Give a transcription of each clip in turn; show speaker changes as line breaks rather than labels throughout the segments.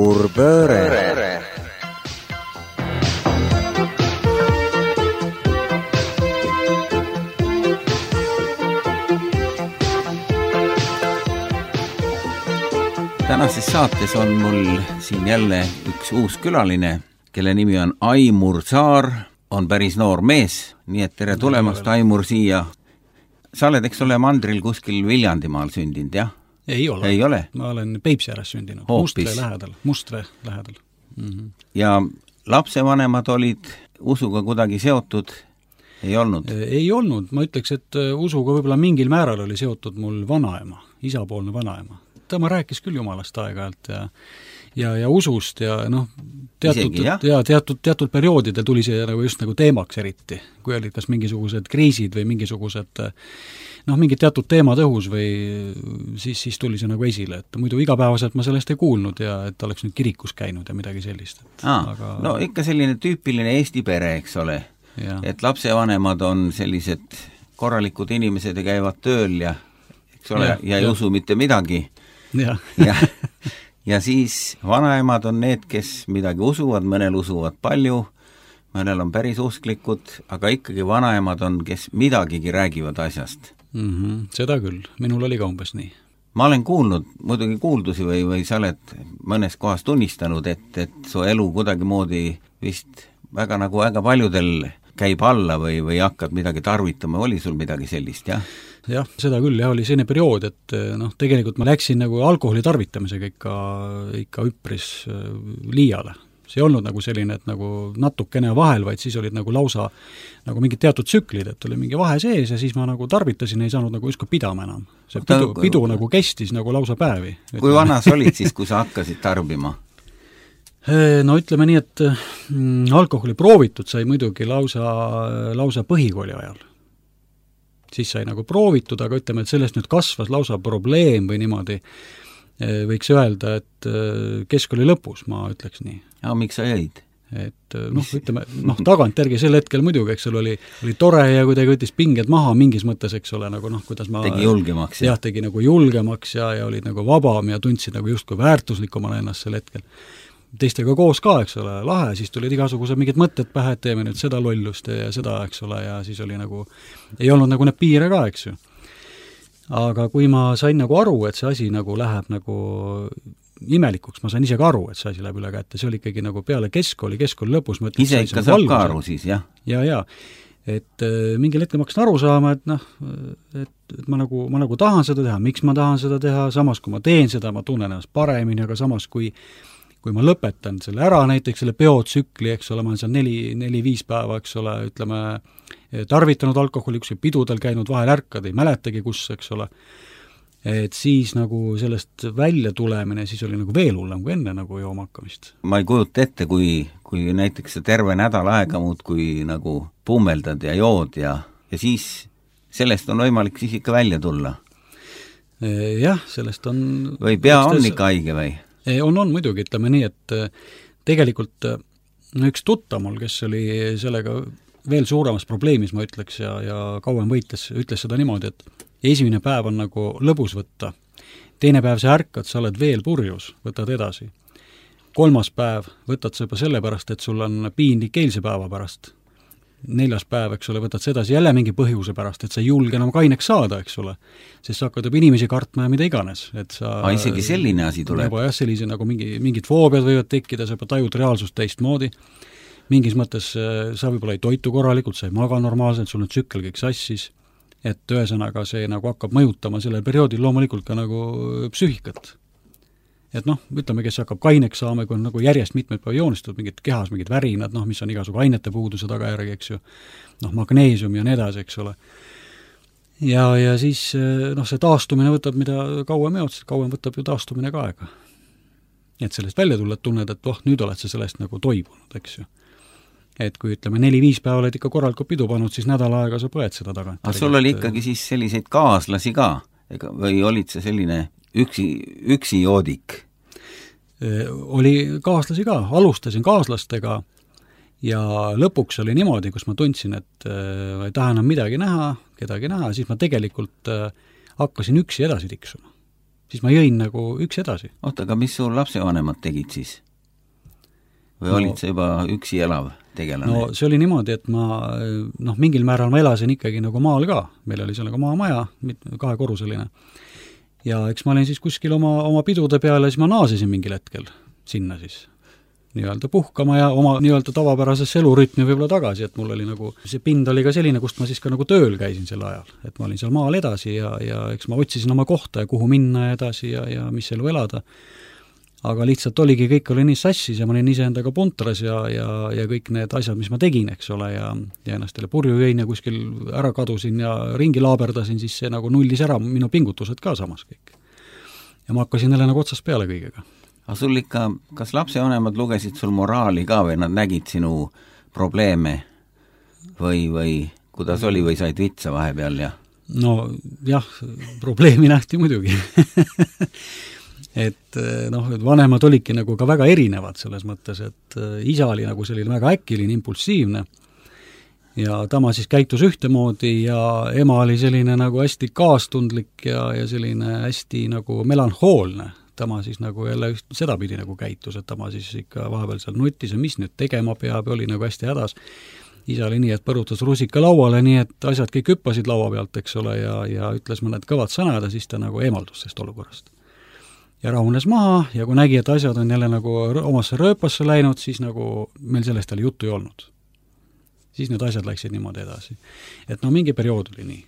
Suur pööre. Tänases saates on mul siin jälle üks uus külaline, kelle nimi on Aimur Saar, on päris noor mees, nii et tere tulemast, Aimur, siia. Sa oled, eks ole, mandril kuskil Viljandimaal sündinud, jah?
Ei ole.
Ei ole?
Ma olen Peipsi ääres sündinud, Mustre lähedal. Mm-hmm.
Ja lapsevanemad olid usuga kuidagi seotud? Ei olnud?
Ei olnud, ma ütleks, et usuga võib-olla mingil määral oli seotud mul vanaema, isapoolne vanaema. Ma rääkis küll jumalast aeg-ajalt ja usust ja teatud perioodidel tuli see nagu just nagu teemaks eriti, kui olid kas mingisugused kriisid või mingisugused mingid teatud teemad õhus või siis tuli see nagu esile, et muidu igapäevaselt ma sellest ei kuulnud ja et oleks nüüd kirikus käinud ja midagi sellist.
Aga... No ikka selline tüüpiline Eesti pere, eks ole, et lapsevanemad on sellised korralikud inimesed ja käivad tööl ja eks ole, ja ei usu mitte midagi. Ja siis vanaemad on need, kes midagi usuvad, mõnel usuvad palju, mõnel on päris usklikud, aga ikkagi vanaemad on, kes midagigi räägivad asjast.
Seda küll, minul oli ka umbes nii.
Ma olen kuulnud, muidugi kuuldusi või sa oled mõnes kohas tunnistanud, et su elu kuidagi moodi vist väga paljudel käib alla või hakkad midagi tarvitama, oli sul midagi sellist, jah?
Jah, seda küll, oli selline periood, et tegelikult ma läksin nagu alkoholi tarvitamisega ikka üpris liiale. See ei olnud nagu selline, et nagu natukene vahel, vaid siis olid nagu lausa nagu mingid teatud tsüklid, et oli mingi vahe sees ja siis ma nagu tarvitasin, ei saanud nagu justkui pidama enam. See pidu nagu kestis nagu lausa päevi.
Kui vanas olid siis, kui sa hakkasid tarbima?
No ütleme nii, et alkoholi proovitud sai muidugi lausa põhikooli ajal. Siis sai nagu proovitud, aga ütleme, et sellest nüüd kasvas lausa probleem või niimoodi võiks öelda, et keskkooli lõpus, ma ütleks nii.
Ja miks sa jäid?
Et ütleme, tagantjärgi sel hetkel muidugi, eks oli tore ja kuidagi võttis pinged maha mingis mõttes, eks ole, nagu kuidas ma...
Tegi julgemaks.
Jah, tegi nagu julgemaks ja olid nagu vabam ja tundsid nagu justkui väärtuslikumana ennast sel hetkel. Teistega koos ka, eks ole, lahe, siis tulid igasugused mingid mõtted pähe, et teeme nüüd seda lollust ja seda, eks ole, ja siis oli nagu, ei olnud nagu need piire ka, eks ju. Aga kui ma sain nagu aru, et see asi nagu läheb nagu imelikuks, ma sain ise ka aru, et see asi läheb üle kätte, see oli ikkagi nagu peale keskkooli lõpus.
Ise ikka saab ka aru siis, jah?
Ja. Et mingil hetkel ma hakkasin aru saama, et ma nagu tahan seda teha, miks ma tahan seda teha, samas kui ma teen seda, ma tunnen ennast paremini, aga samas kui ma lõpetan selle ära, näiteks selle peotsükli, eks ole, ma olen seal 4-5 päeva, eks ole, ütleme, tarvitanud alkoholi, üks pidudel käinud, vahel ärkad, ei mäletagi kus, eks ole, et siis nagu sellest välja tulemine, siis oli nagu veel hullem kui enne nagu jooma hakkamist.
Ma ei kujuta ette, kui näiteks terve nädal aega muud, kui nagu pummeldad ja jood ja siis sellest on võimalik siis ikka välja tulla.
Jah, sellest on...
Või pea on ikka haige või?
On muidugi, ütleme nii, et tegelikult üks tuttav mul, kes oli sellega veel suuremas probleemis, ma ütleks, ja kauem ütles seda niimoodi, et esimene päev on nagu lõbus võtta, teine päev sa ärkad, sa oled veel purjus, võtad edasi. 3. päev võtad sa juba sellepärast, et sul on piinlik eilse päeva pärast. 4. päev, eks ole, võtad sedasi jälle mingi põhjuse pärast, et sa ei julge enam kaineks saada, eks ole, sest sa hakkad juba inimesi kartma ja mida iganes. Et sa,
isegi selline asi tuleb?
Juba jah, sellise nagu mingid foobiad võivad tekkida, sa juba tajud reaalsust teistmoodi. Mingis mõttes sa võib-olla ei toitu korralikult, sa ei maga normaalselt, sul on tsükkel kõik sassis, et ühesõnaga see nagu hakkab mõjutama sellel perioodil loomulikult ka nagu psüühikat. Et ütleme, kes hakkab kaineks saama, kui on nagu järjest mitmed päeva joonistatud, mingid kehas, mingid värinad, mis on igasugu ainete puuduse tagajärgi, eks ju, magneesium ja nii edasi, eks ole. Ja siis see taastumine võtab, mida kauem võtab ju taastumine ka aega. Et sellest välja tulla, et tunned, et nüüd oled sa sellest nagu toibunud, eks ju. Et kui ütleme 4-5 päeva oled ikka korralikult pidu pannud, siis nädal aega sa põed seda tagant.
Aga sul oli ikkagi siis selliseid kaaslasi ka? Või olid see selline üksi joodik?
Oli kaaslasi ka, alustasin kaaslastega ja lõpuks oli niimoodi, kus ma tundsin, et ei taha enam midagi näha, kedagi näha, siis ma tegelikult hakkasin üksi edasi tiksuma. siis ma jõin nagu üks edasi.
Oota, aga mis sul lapsevanemad tegid siis? Või olid sa juba üksi elav tegelane?
No see oli niimoodi, et ma mingil määral ma elasin ikkagi nagu maal ka, meil oli seal nagu maamaja, 2-korruseline. Ja eks ma olin siis kuskil oma pidude peale, siis ma naasisin mingil hetkel sinna siis nii-öelda puhkama ja oma nii-öelda tavapärasesse elurütmi võib-olla tagasi, et mul oli nagu, see pind oli ka selline, kust ma siis ka nagu tööl käisin sel ajal, et ma olin seal maal edasi ja eks ma otsisin oma kohta ja kuhu minna edasi ja mis elu elada. Aga lihtsalt oligi, kõik oli nii sassis ja ma olin iseendaga puntras ja kõik need asjad, mis ma tegin, eks ole, ja ennast jälle purju jõin ja kuskil ära kadusin ja ringi laaberdasin, siis see nagu nullis ära minu pingutused ka samas kõik. Ja ma hakkasin jälle nagu otsast peale kõigega.
Aga sul ikka, kas lapsevanemad lugesid sul moraali ka või nad nägid sinu probleeme või kuidas oli või said vitsa vahepeal ja?
No jah, probleemi nähti muidugi. et vanemad olidki nagu ka väga erinevad selles mõttes, et isa oli nagu selline väga äkiline, impulsiivne ja tema siis käitus ühtemoodi ja ema oli selline nagu hästi kaastundlik ja selline hästi nagu melanhoolne. Tema siis nagu jälle sedapidi nagu käitus, et tema siis ikka vahepeal seal nutis ja mis nüüd tegema peab ja oli nagu hästi hädas. Isa oli nii, et põrutas rusika lauale, nii et asjad kõik hüppasid laua pealt, eks ole, ja ütles mõned kõvad sõnad ja siis ta nagu eemaldus sellest olukorrast. Ja rahunes maha ja kui nägi, et asjad on jälle nagu omasse rööpasse läinud, siis nagu meil sellest jälle juttu ei olnud. Siis need asjad läksid niimoodi edasi. Et mingi periood oli nii.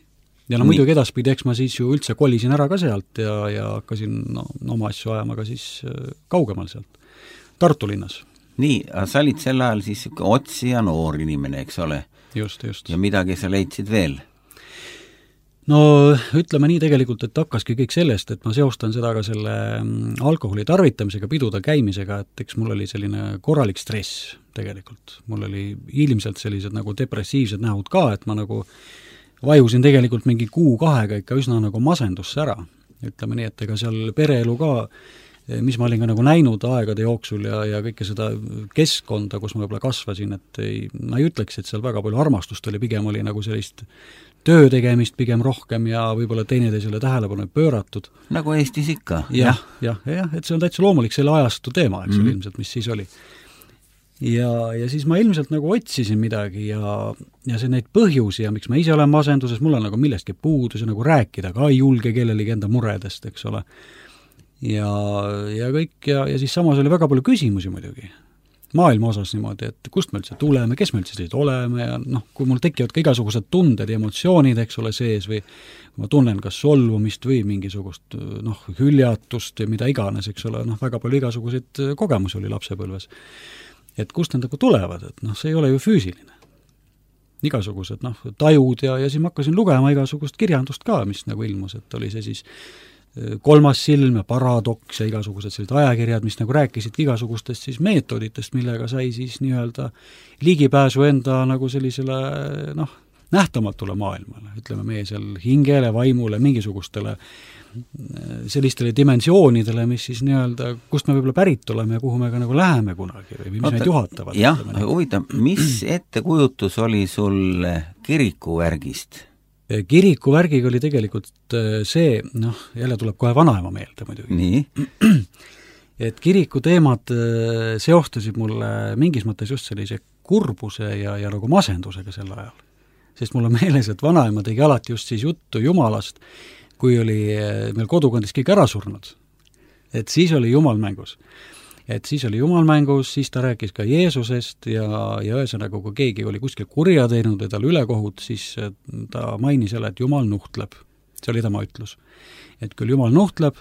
Ja muidugi edaspidi, eks ma siis ju üldse kolisin ära ka sealt ja hakkasin oma asju ajama ka siis kaugemal sealt, Tartu linnas.
Nii, aga sa olid sel ajal siis otsija noor inimene, eks ole?
Just.
Ja midagi sa leidsid veel?
No ütleme nii tegelikult, et hakkaski kõik sellest, et ma seostan seda ka selle alkoholi tarvitamisega, piduda käimisega, et eks mul oli selline korralik stress tegelikult. Mul oli ilmselt sellised nagu depressiivsed nähud ka, et ma nagu vajusin tegelikult mingi 2-kuuga ikka üsna nagu masendusse ära. Ütleme nii, et ega seal pereelu ka, mis ma olin ka nagu näinud aegade jooksul ja kõike seda keskkonda, kus ma võib-olla kasvasin, et ma ei ütleks, et seal väga palju armastust oli, pigem oli nagu sellist töö tegemist pigem rohkem ja võib-olla teineteisele tähelepanu pööratud.
Nagu Eestis ikka.
Jah, et see on täitsa loomulik selle ajastu teema, eks ilmselt, mis siis oli. Ja siis ma ilmselt nagu otsisin midagi ja see neid põhjusi ja miks ma ise olen masenduses, mul on nagu millestki puudus ja nagu rääkida ka ei julge kellelegi enda muredest, eks ole. Ja kõik ja siis samas oli väga palju küsimusi muidugi. Maailma osas niimoodi, et kust me üldse tuleme, kes me üldse sellised oleme ja kui mul tekivad ka igasugused tunded ja emotsioonid, eks ole, sees või ma tunnen kas solvumist või mingisugust hüljatust ja mida iganes, eks ole, väga palju igasuguseid kogemusi oli lapsepõlves. Et kust need nagu tulevad, et see ei ole ju füüsiline. Igasugused tajud ja siis ma hakkasin lugema igasugust kirjandust ka, mis nagu ilmus, et oli see siis kolmas silm ja paradoks ja igasugused sellised ajakirjad, mis nagu rääkisid igasugustest siis meetoditest, millega sai siis nii-öelda ligipääsu enda nagu sellisele nähtamatule maailmale, ütleme meie seal hingele, vaimule, mingisugustele sellistele dimensioonidele, mis siis nii-öelda, kust me võib-olla pärit oleme ja kuhu me ka nagu läheme kunagi või mis meid juhatavad.
Jah, huvitav, mis ettekujutus oli sul kirikuvärgist?
Kirikuvärgiga oli tegelikult see, jälle tuleb kohe vanaema meelde muidugi.
Nii?
Et kiriku teemad seostasid mulle mingis mõttes just sellise kurbuse ja nagu masendusega sel ajal. Sest mul on meeles, et vanaema tegi alati just siis juttu Jumalast, kui oli meil kodukondis kõik ära surnud. Et siis oli Jumal mängus. Siis ta rääkis ka Jeesusest ja ühesõnaga, kui keegi oli kuskil kurja teinud või tal ülekohut, siis ta mainis jälle, et Jumal nuhtleb. See oli tema ütlus. Et küll Jumal nuhtleb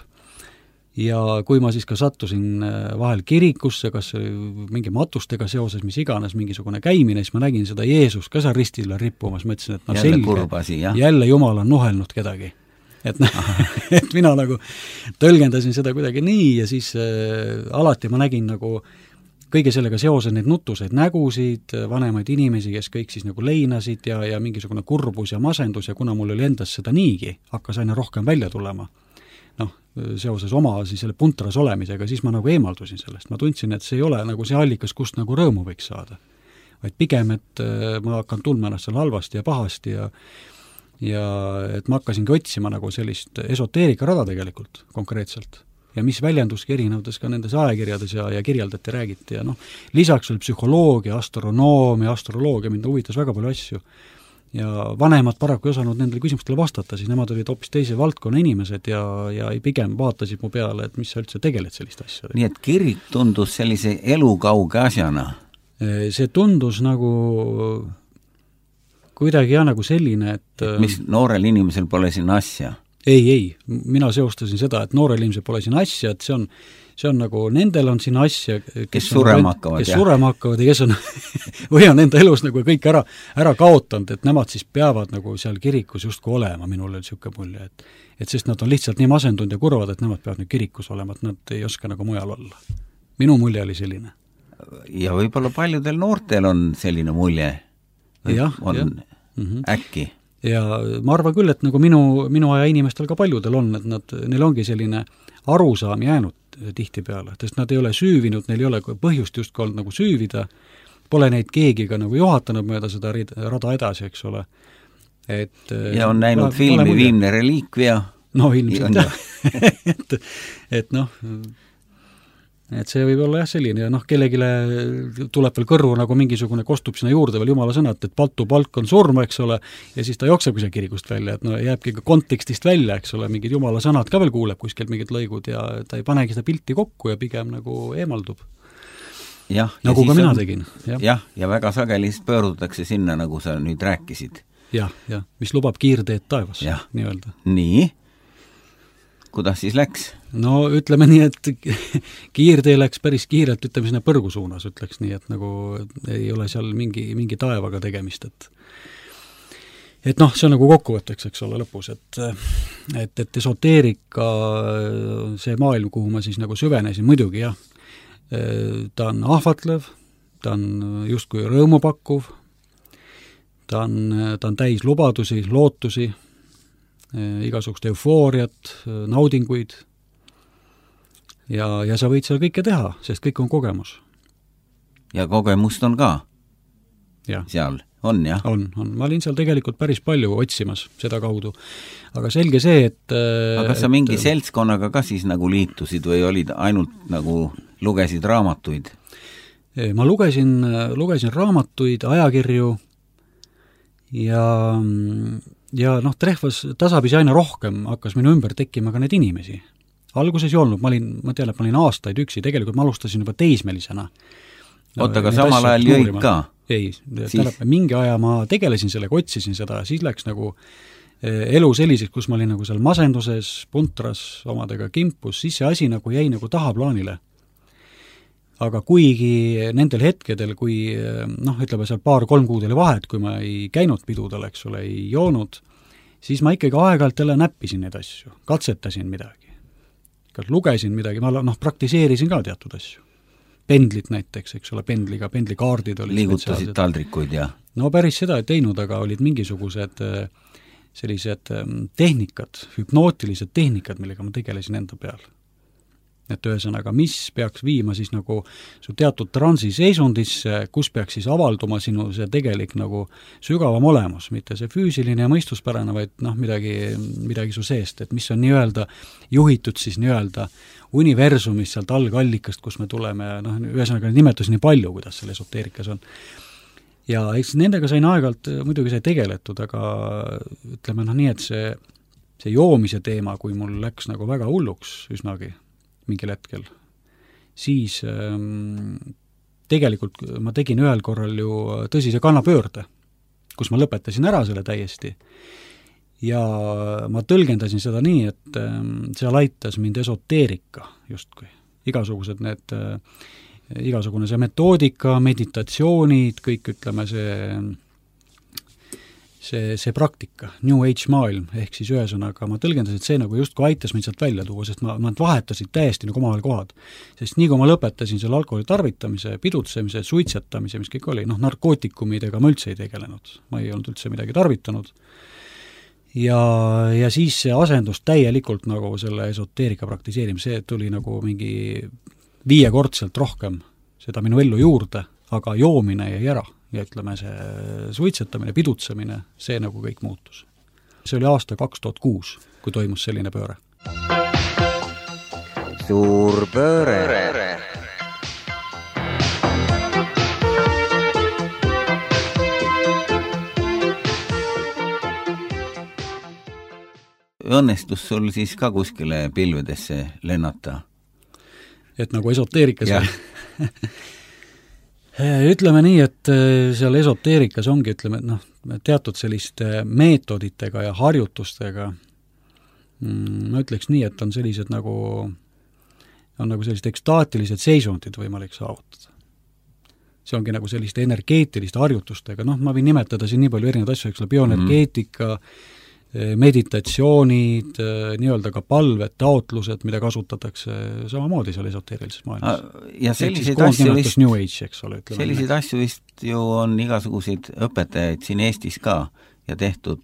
ja kui ma siis ka sattusin vahel kirikusse, kas mingi matustega seoses, mis iganes, mingisugune käimine, siis ma nägin seda Jeesus ka seal ristile rippumas, ma ütlesin, et selge, jälle Jumal on nuhelnud kedagi. Et mina nagu tõlgendasin seda kuidagi nii ja siis alati ma nägin nagu kõige sellega seoses neid nutuseid nägusid, vanemaid inimesi, kes kõik siis nagu leinasid ja mingisugune kurbus ja masendus ja kuna mul oli endas seda niigi, hakkas aina rohkem välja tulema, seoses oma siis selle puntras olemisega, siis ma nagu eemaldusin sellest. Ma tundsin, et see ei ole nagu see allikas, kust nagu rõõmu võiks saada. Vaid pigem, et ma hakkan tundma ennast seal halvasti ja pahasti ja et ma hakkasingi otsima nagu sellist esoteerikarada tegelikult konkreetselt. Ja mis väljenduski erinevates ka nendes ajakirjades ja kirjeldati, räägiti ja noh, lisaks oli psühholoogia, astronoomia, astroloogia, mind huvitas väga palju asju. Ja vanemad paraku ei osanud nendele küsimustele vastata, siis nemad olid hoopis teise valdkonna inimesed ja pigem vaatasid mu peale, et mis sa üldse tegeled sellist asja.
Nii et kirik tundus sellise elukauge asjana?
See tundus nagu kuidagi nagu selline, et
mis noorel inimesel pole siin asja?
Ei, mina seostasin seda, et noorel inimesel pole siin asja, et see on nagu, nendel on siin asja,
kes surema hakkavad
ja kes on või on enda elus nagu kõik ära kaotanud, et nemad siis peavad nagu seal kirikus justkui olema, minul oli niisugune mulje, et sest nad on lihtsalt nii masendunud ja kurvad, et nemad peavad nüüd kirikus olema, et nad ei oska nagu mujal olla. Minu mulje oli selline.
Ja võib-olla paljudel noortel on selline mulje. Äkki.
Ja ma arvan küll, et nagu minu aja inimestel ka paljudel on, et neil ongi selline arusaam jäänud tihtipeale, sest nad ei ole süüvinud, neil ei ole põhjust justkui olnud nagu süüvida, pole neid keegi ka nagu juhatanud mööda seda rada edasi, eks ole.
Ja on näinud filmi Viimne reliikvia.
No ilmselt et noh, et see võib olla jah selline ja noh, kellegile tuleb veel kõrvu nagu mingisugune, kostub sinna juurde veel jumala sõnad, et palk on surma, eks ole, ja siis ta jooksebki seal kirikust välja, et no jääbki ka kontekstist välja, eks ole, mingid jumala sõnad ka veel kuuleb kuskilt mingid lõigud ja ta ei panegi seda pilti kokku ja pigem nagu eemaldub. Nagu ka mina tegin.
Ja väga sageli pöördutakse sinna, nagu sa nüüd rääkisid.
Ja, mis lubab kiirteed taevas, nii öelda.
Nii? Kuidas siis läks?
No ütleme nii, et kiirtee läks päris kiirelt, ütleme sinna põrgu suunas, ütleks nii, et nagu ei ole seal mingi taevaga tegemist, et noh, see on nagu kokkuvõtteks, eks ole, lõpus, et esoteerika, see maailm, kuhu ma siis nagu süvenesin, muidugi jah, ta on ahvatlev, ta on justkui rõõmupakkuv, ta on täis lubadusi, lootusi, igasugust eufooriat, naudinguid ja sa võid seal kõike teha, sest kõik on kogemus.
Ja kogemust on ka? Seal on, jah?
On. Ma olin seal tegelikult päris palju otsimas seda kaudu. Aga selge see, et
aga sa mingi seltskonnaga ka siis nagu liitusid või olid ainult nagu lugesid raamatuid?
Ma lugesin raamatuid, ajakirju ja noh, trehvas tasapisi aina rohkem hakkas minu ümber tekkima ka neid inimesi. Alguses ei olnud, ma olin aastaid üksi, tegelikult ma alustasin juba teismelisena.
Oota, aga samal ajal jõid ka?
Ei, mingi aja ma tegelesin sellega, otsisin seda, siis läks nagu elu selliseks, kus ma olin nagu seal masenduses, puntras, omadega kimpus, siis see asi nagu jäi nagu tahaplaanile. Aga kuigi nendel hetkedel, kui noh, ütleme seal 2-3 kuud oli vahet, kui ma ei käinud pidudel, eks ole, ei joonud, siis ma ikkagi aeg-ajalt jälle näppisin neid asju, katsetasin midagi. Lugesin midagi, ma praktiseerisin ka teatud asju. Pendlit näiteks, eks ole, pendlikaardid olid
liigutasid taldrikuid ja?
No päris seda ei teinud, aga olid mingisugused sellised tehnikad, hüpnootilised tehnikad, millega ma tegelesin enda peal. Et ühesõnaga, mis peaks viima siis nagu su teatud transiseisundisse, kus peaks siis avalduma sinu see tegelik nagu sügavam olemus, mitte see füüsiline ja mõistuspärane, vaid noh, midagi su seest, et mis on nii-öelda juhitud siis nii-öelda universumist sealt algallikast, kus me tuleme, noh, ühesõnaga nimetusi nii palju, kuidas seal esoteerikas on. Ja eks nendega sain aeg-ajalt muidugi sai tegeletud, aga ütleme nii, et see joomise teema, kui mul läks nagu väga hulluks üsnagi, mingil hetkel, siis tegelikult ma tegin ühel korral ju tõsise kannapöörde, kus ma lõpetasin ära selle täiesti ja ma tõlgendasin seda nii, et seal aitas mind esoteerika justkui. Igasugune see metoodika, meditatsioonid, kõik ütleme see praktika, New Age maailm, ehk siis ühesõnaga ma tõlgendasin, et see nagu justkui aitas mind sealt välja tuua, sest ma vahetasid täiesti nagu omavahel kohad. Sest nii kui ma lõpetasin selle alkoholi tarvitamise, pidutsemise, suitsetamise, mis kõik oli, narkootikumidega ma üldse ei tegelenud, ma ei olnud üldse midagi tarvitanud. Ja siis see asendus täielikult nagu selle esoteerika praktiseerimise, see tuli nagu mingi 5-kordselt rohkem seda minu ellu juurde, aga joomine jäi ära. Ja ütleme, see suitsetamine, pidutsemine, see nagu kõik muutus. see oli aasta 2006, kui toimus selline pööre.
Suur pööre. Õnnestus sul siis ka kuskile pilvedesse lennata?
Et nagu esoteerikas ütleme nii, et seal esoteerikas ongi, ütleme, teatud selliste meetoditega ja harjutustega, ma ütleks nii, et on sellised nagu sellised ekstaatilised seisundid võimalik saavutada. See ongi nagu selliste energeetiliste harjutustega, ma võin nimetada siin nii palju erinevaid asju, eks bioenergeetika, meditatsioonid, nii-öelda ka palved, taotlused, mida kasutatakse samamoodi seal esoteerilises maailmas.
Ja selliseid asju vist,
New Age, eks ole,
selliseid asju vist ju on igasuguseid õpetajaid siin Eestis ka ja tehtud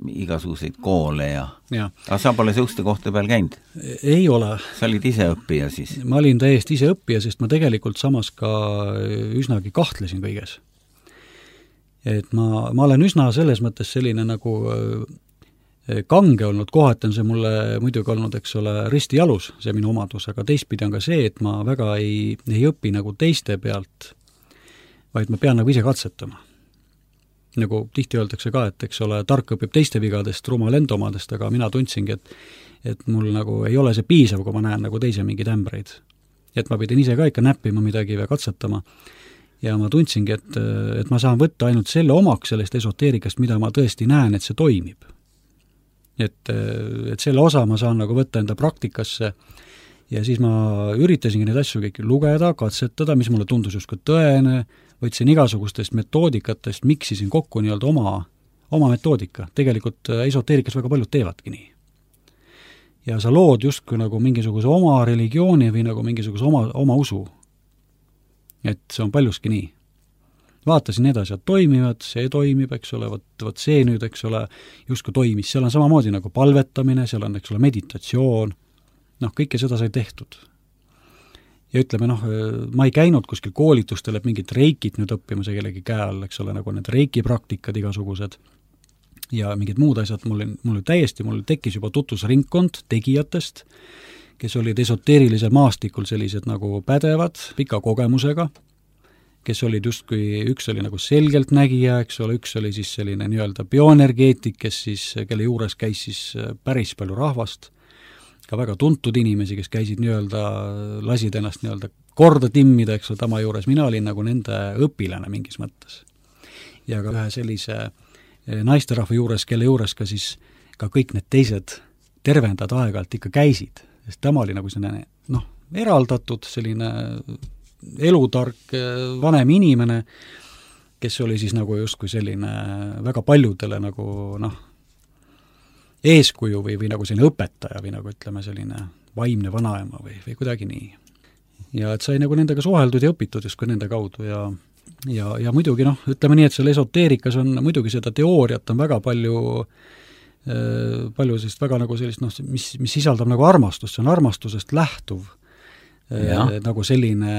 igasuguseid koole ja. Aga sa pole seuste kohta peal käinud?
Ei ole.
Sa olid ise õppija siis?
Ma olin täiesti ise õppija, sest ma tegelikult samas ka üsnagi kahtlesin kõiges. Et ma olen üsna selles mõttes selline nagu kange olnud, kohati on see mulle muidugi olnud, eks ole, risti jalus, see minu omadus, aga teistpidi on ka see, et ma väga ei õpi nagu teiste pealt, vaid ma pean nagu ise katsetama. Nagu tihti öeldakse ka, et eks ole, tark õpib teiste vigadest, rumal enda omadest, aga mina tundsingi, et mul nagu ei ole see piisav, kui ma näen nagu teise mingeid ämbreid. Et ma pidin ise ka ikka näppima midagi või katsetama. Ja ma tundsingi, et ma saan võtta ainult selle omaks sellest esoteerikast, mida ma tõesti näen, et see toimib. Et selle osa ma saan nagu võtta enda praktikasse ja siis ma üritasingi neid asju kõik lugeda, katsetada, mis mulle tundus justkui tõene, võtsin igasugustest metoodikatest, miksisin kokku nii-öelda oma metoodika. Tegelikult esoteerikas väga paljud teevadki nii. Ja sa lood justkui nagu mingisuguse oma religiooni või nagu mingisuguse oma usu. Et see on paljuski nii. Vaatasin need asjad toimivad, see toimib, eks ole, võt see nüüd, eks ole, justkui toimis. Seal on samamoodi nagu palvetamine, seal on, eks ole, meditatsioon, kõike seda sai tehtud. Ja ütleme, ma ei käinud kuskil koolitustel, et mingit reikit nüüd õppima see kellegi käe all, eks ole, nagu need reiki praktikad igasugused ja mingid muud asjad, mul tekkis juba tutvusringkond tegijatest, kes olid esoteerilisel maastikul sellised nagu pädevad, pika kogemusega, kes olid justkui, üks oli nagu selgelt nägija, eks ole, üks oli siis selline nii-öelda bioenergeetik, kelle juures käis siis päris palju rahvast, ka väga tuntud inimesi, kes käisid nii-öelda, lasid ennast nii-öelda korda timmida, eks ole, tama juures, mina olin nagu nende õpilane mingis mõttes. Ja ka ühe sellise naisterahva juures, kelle juures ka siis ka kõik need teised tervendad aeg-ajalt ikka käisid, sest tema oli nagu selline, eraldatud, selline elutark vanem inimene, kes oli siis nagu justkui selline väga paljudele nagu eeskuju või nagu selline õpetaja või nagu ütleme selline vaimne vanaema või kuidagi nii. Ja et sai nagu nendega suheldud ja õpitud justkui nende kaudu ja muidugi ütleme nii, et seal esoteerikas on muidugi seda teooriat on väga palju sellist väga nagu sellist, mis sisaldab nagu armastust, see on armastusest lähtuv. Nagu selline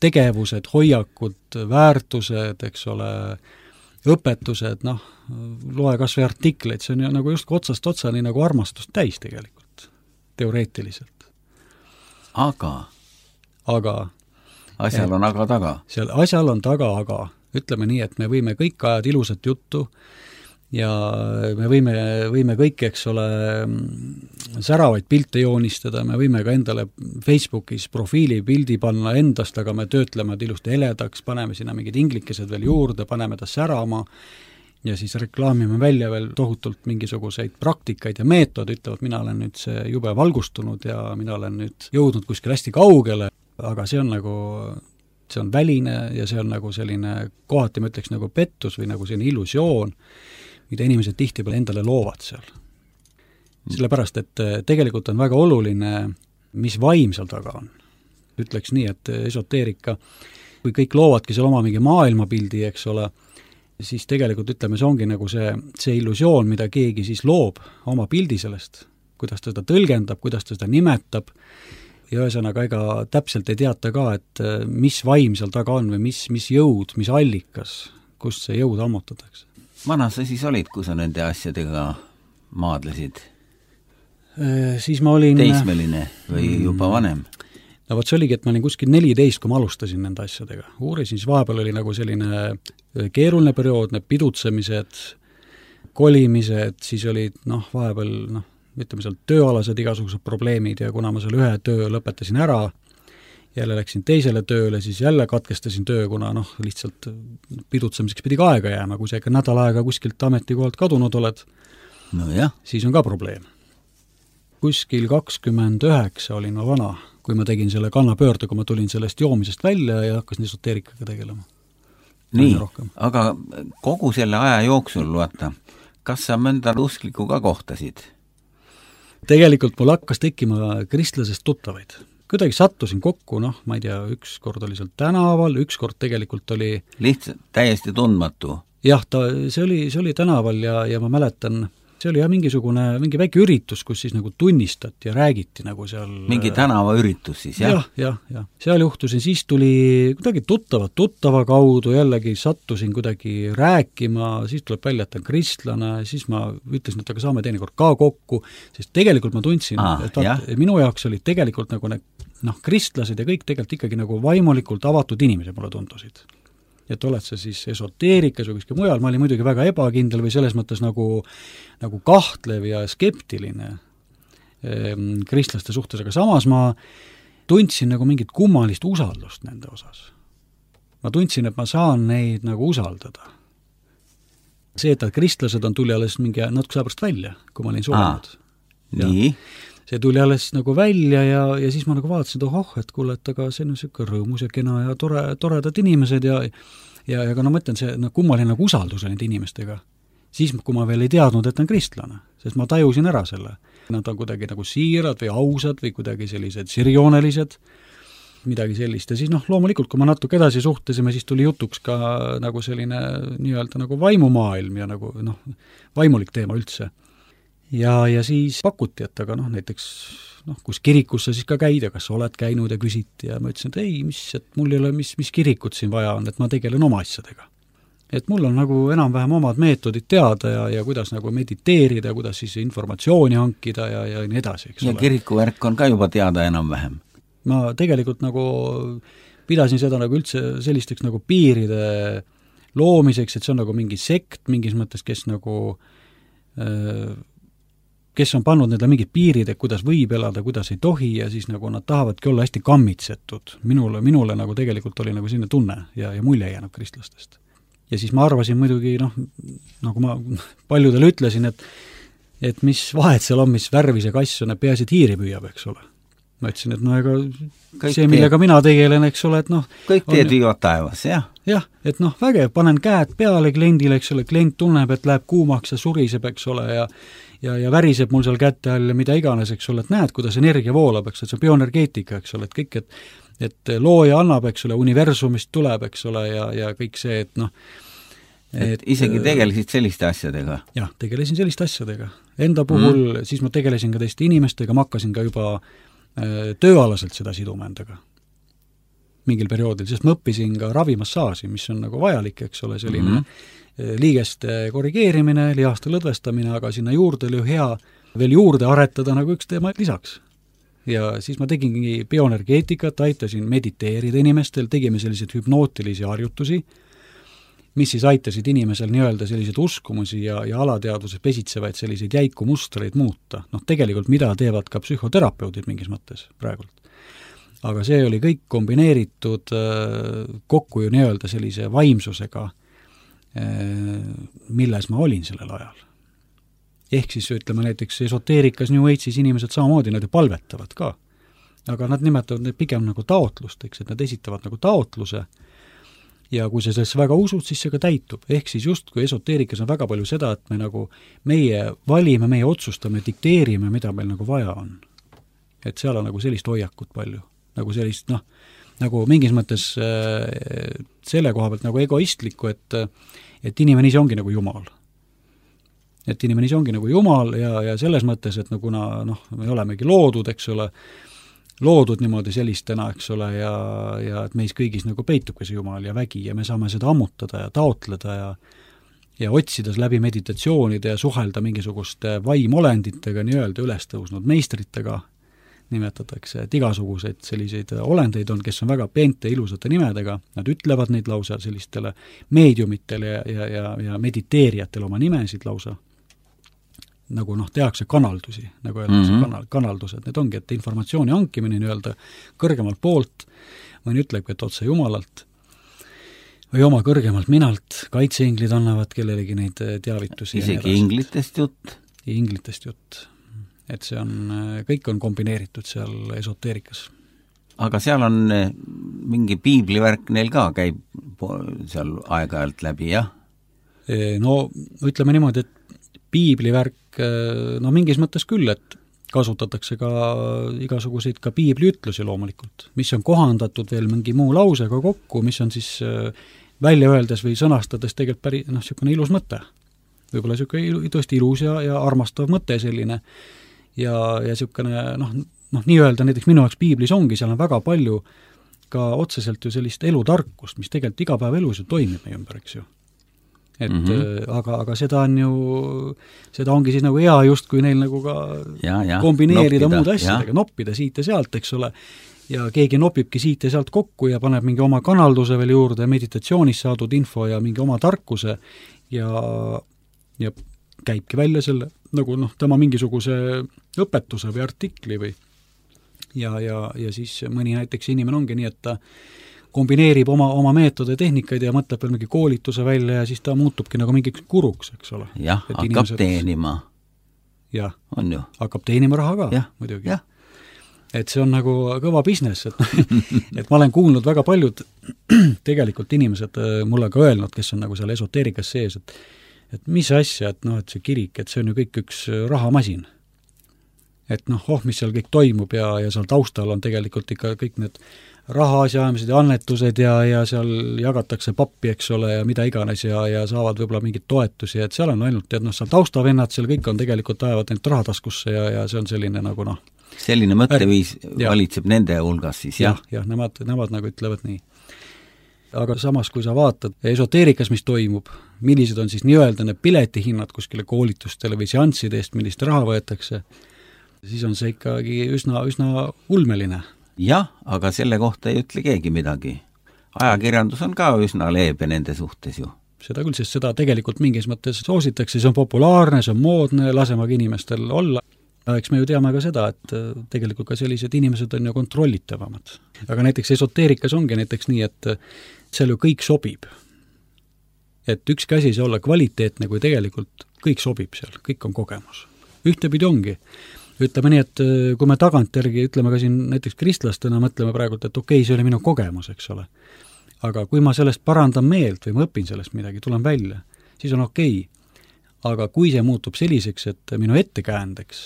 tegevused, hoiakud, väärtused, eks ole, õpetused, loe kas või artikleid, see on nagu just otsast otsani nagu armastust täis tegelikult, teoreetiliselt.
Aga asjal on aga taga.
Asjal on taga, aga ütleme nii, et me võime kõik ajad ilusat juttu ja me võime kõik, eks ole, säravaid pilte joonistada, me võime ka endale Facebookis profiilipildi panna endast, aga me töötleme ilusti heledaks, paneme sinna mingid inglikesed veel juurde, paneme ta särama ja siis reklaamime välja veel tohutult mingisuguseid praktikaid ja meetod, ütlevad, mina olen nüüd see jube valgustunud ja mina olen nüüd jõudnud kuskil hästi kaugele, aga see on väline ja see on nagu selline, kohati ma ütleks nagu pettus või nagu selline illusioon, mida inimesed tihtipeale endale loovad seal. Sellepärast, et tegelikult on väga oluline, mis vaim seal taga on. Ütleks nii, et esoteerika, kui kõik loovadki seal oma mingi maailmapildi, eks ole, siis tegelikult ütleme, see ongi nagu see illusioon, mida keegi siis loob oma pildi sellest, kuidas ta seda tõlgendab, kuidas ta seda nimetab, ja ühesõnaga ega täpselt ei teata ka, et mis vaim seal taga on või mis jõud, mis allikas, kust see jõud ammutatakse.
Vana sa siis olid, kui sa nende asjadega maadlesid?
Siis ma olin
teismeline või juba vanem?
No vot see oligi, et ma olin kuskil 14, kui ma alustasin nende asjadega. Uurisin, siis vahepeal oli nagu selline keeruline periood, need pidutsemised, kolimised, siis olid vahepeal ütleme seal tööalased igasugused probleemid ja kuna ma seal ühe töö lõpetasin ära, jälle läksin teisele tööle, siis jälle katkestasin töö, kuna lihtsalt pidutsemiseks pidi ka aega jääma, kui sa ikka nädal aega kuskilt ametikohalt kadunud oled, siis on ka probleem. Kuskil 29 olin ma vana, kui ma tegin selle kannapöörde, kui ma tulin sellest joomisest välja ja hakkasin esoteerikaga tegelema.
Nii, aga kogu selle aja jooksul, vaata, kas sa mõnda usklikku ka kohtasid?
Tegelikult mul hakkas tekkima kristlasest tuttavaid. Kuidagi sattusin kokku, ma ei tea, üks kord oli seal tänaval, üks kord tegelikult oli
lihtsalt täiesti tundmatu?
Jah, see oli tänaval ja ma mäletan, see oli mingi väike üritus, kus siis nagu tunnistati ja räägiti nagu seal
mingi tänavaüritus siis, jah?
Jah. Seal juhtusin, siis tuli kuidagi tuttava kaudu, jällegi sattusin kuidagi rääkima, siis tuleb välja, et on kristlane, siis ma ütlesin, et aga saame teinekord ka kokku, sest tegelikult ma tundsin, et minu jaoks olid tegelikult nagu kristlased ja kõik tegelikult ikkagi nagu vaimulikult avatud inimesed mulle tundusid. Et oled sa siis esoteerikas või kuskil mujal, ma olin muidugi väga ebakindel või selles mõttes nagu kahtlev ja skeptiline kristlaste suhtes, aga samas ma tundsin nagu mingit kummalist usaldust nende osas. Ma tundsin, et ma saan neid nagu usaldada. See, et kristlased tuli alles mingi natuke saa pärast välja, kui ma olin surnud.
Nii?
See tuli alles nagu välja ja siis ma nagu vaatasin, et kuule, et aga see on niisugune rõõmus ja kena ja toredad inimesed ja ka ma mõtlen, see kummaline nagu usaldus nende inimestega. Siis, kui ma veel ei teadnud, et on kristlane, sest ma tajusin ära selle. Nad on kuidagi nagu siirad või ausad või kuidagi sellised sirjoonelised, midagi sellist. Ja siis loomulikult, kui ma natuke edasi suhtlesime, siis tuli jutuks ka nagu selline nii-öelda nagu vaimumaailm ja nagu vaimulik teema üldse. Ja siis pakuti, et aga näiteks kus kirikus sa siis ka käid ja kas sa oled käinud ja küsiti ja ma ütlesin, et ei, et mul ei ole, mis kirikut siin vaja on, et ma tegelen oma asjadega. Et mul on nagu enam-vähem omad meetodid teada ja kuidas nagu mediteerida ja kuidas siis informatsiooni hankida ja nii edasi, eks ole.
Ja kirikuvärk on ka juba teada enam-vähem.
Ma tegelikult nagu pidasin seda nagu üldse sellisteks nagu piiride loomiseks, et see on nagu mingi sekt mingis mõttes, kes on pannud neile mingid piirid, et kuidas võib elada, kuidas ei tohi ja siis nagu nad tahavadki olla hästi kammitsetud. Minule nagu tegelikult oli nagu selline tunne ja mulje jäänud kristlastest. Ja siis ma arvasin muidugi, nagu ma paljudele ütlesin, et mis vahet seal on, mis värvi see kass on, et peaasi, et hiiri püüab, eks ole. Ma ütlesin, et ega kõik see, millega mina tegelen, eks ole, et
kõik teed viivad taevas, jah?
Jah, et vägev, panen käed peale kliendile, eks ole, klient tunneb, et läheb kuumaks ja suriseb, eks ole, ja väriseb mul seal kätte all ja mida iganes, eks ole, et näed, kuidas energia voolab, eks ole, see on bioenergeetika, eks ole, et kõik, et looja annab, eks ole, universumist tuleb, eks ole, ja kõik see,
et isegi tegelesid selliste asjadega?
Jah, tegelesin selliste asjadega. Enda puhul siis ma tegelesin ka teiste inimestega, ma hakkasin ka juba tööalaselt seda siduma endaga mingil perioodil, sest ma õppisin ka ravimassaaži, mis on nagu vajalik, eks ole, selline liigeste korrigeerimine, lihaste lõdvestamine, aga sinna juurde oli hea veel juurde aretada nagu üks teema lisaks. Ja siis ma tegingi bioenergeetikat, aitasin mediteerida inimestel, tegime selliseid hüpnootilisi harjutusi, mis siis aitasid inimesel nii-öelda selliseid uskumusi ja alateaduses pesitsevaid selliseid jäiku mustreid muuta. Tegelikult mida teevad ka psühhoterapeudid mingis mõttes praegult. Aga see oli kõik kombineeritud kokku ju nii-öelda sellise vaimsusega, milles ma olin sellel ajal. Ehk siis ütleme näiteks esoteerikas New Age'is inimesed samamoodi, nad ju palvetavad ka. Aga nad nimetavad neid pigem nagu taotlusteks, et nad esitavad nagu taotluse ja kui sa sellesse väga usud, siis see ka täitub. Ehk siis just kui esoteerikas on väga palju seda, et meie valime, meie otsustame, dikteerime, mida meil nagu vaja on. Et seal on nagu sellist hoiakut palju. Nagu sellist, nagu mingis mõttes selle koha pealt nagu egoistlikku, et inimene ise ongi nagu Jumal. Et inimene ise ongi nagu Jumal ja selles mõttes, et kuna me olemegi loodud, eks ole, loodud niimoodi sellistena, eks ole, ja et meis kõigis nagu peitubki see Jumal ja vägi ja me saame seda ammutada ja taotleda ja otsides läbi meditatsioonide ja suhelda mingisuguste vaimolenditega, nii-öelda üles tõusnud meistritega, nimetatakse, et igasuguseid selliseid olendeid on, kes on väga peente ilusate nimedega, nad ütlevad neid lausa sellistele meediumitele ja mediteerijatele oma nimesid lausa, nagu tehakse kanaldusi, nagu öeldakse kanaldused, need ongi, et informatsiooni hankimine nii-öelda kõrgemalt poolt, mõni ütlebki, et otse Jumalalt, või oma kõrgemalt minalt, kaitseinglid annavad kellelegi neid teavitusi.
Isegi inglitest jutt?
Inglitest jutt. Et see on, kõik on kombineeritud seal esoteerikas.
Aga seal on mingi piiblivärk neil ka käib seal aeg-ajalt läbi, jah?
No ütleme niimoodi, et piiblivärk, no mingis mõttes küll, et kasutatakse ka igasuguseid ka piibliütlusi loomulikult, mis on kohandatud veel mingi muu lausega kokku, mis on siis välja öeldes või sõnastades tegelikult päris, niisugune ilus mõte. Võib-olla niisugune tõesti ilus ja armastav mõte selline ja niisugune, nii-öelda näiteks minu jaoks piiblis ongi, seal on väga palju ka otseselt ju sellist elutarkust, mis tegelikult igapäevaelus ju toimib meie ümber, eks ju. Et aga seda on ju, seda ongi siis nagu hea just, kui neil nagu ka kombineerida muude asjadega, noppida siit ja sealt, eks ole, ja keegi nopibki siit ja sealt kokku ja paneb mingi oma kanalduse veel juurde, meditatsioonis saadud info ja mingi oma tarkuse ja käibki välja selle, nagu tema mingisuguse õpetuse või artikli või ja siis mõni näiteks inimene ongi nii, et ta kombineerib oma meetode tehnikaid ja mõtleb veel mingi koolituse välja ja siis ta muutubki nagu mingiks kuruks, eks ole.
Jah, hakkab teenima.
Jah,
on ju.
Hakkab teenima raha ka, muidugi. Et see on nagu kõva business, et ma olen kuulnud väga paljud tegelikult inimesed mulle ka öelnud, kes on nagu seal esoteerikas sees, et mis asja, et see kirik, et see on ju kõik üks rahamasin. Et mis seal kõik toimub ja seal taustal on tegelikult ikka kõik need rahaasjaajamised ja annetused ja seal jagatakse pappi, eks ole, ja mida iganes ja saavad võib-olla mingid toetusi, et seal on ainult, et seal taustavennad, seal kõik on tegelikult ajavad neid rahataskusse ja see on selline nagu
selline mõtteviis valitseb nende hulgas siis, jah?
Jah, nemad nagu ütlevad nii. Aga samas, kui sa vaatad esoteerikas, mis toimub, millised on siis nii-öelda need piletihinnad kuskile koolitustele või seansside eest, millist raha võetakse, siis on see ikkagi üsna ulmeline.
Jah, aga selle kohta ei ütle keegi midagi. Ajakirjandus on ka üsna leebe nende suhtes ju.
Seda küll, sest seda tegelikult mingis mõttes soositakse, see on populaarne, see on moodne, lasemaga inimestel olla. Eks me ju teame ka seda, et tegelikult ka sellised inimesed on ju kontrollitavamad. Aga näiteks esoteerikas ongi näiteks nii, et seal ju kõik sobib. Et ükski asi see olla kvaliteetne, kui tegelikult kõik sobib seal, kõik on kogemus. Ühtepidi ongi. Ütleme nii, et kui me tagantjärgi ütleme ka siin näiteks kristlastena, mõtleme praegu, et okei, see oli minu kogemus, eks ole. Aga kui ma sellest parandan meelt või ma õpin sellest midagi, tulen välja, siis on okei. Aga kui see muutub selliseks, et minu ettekäändeks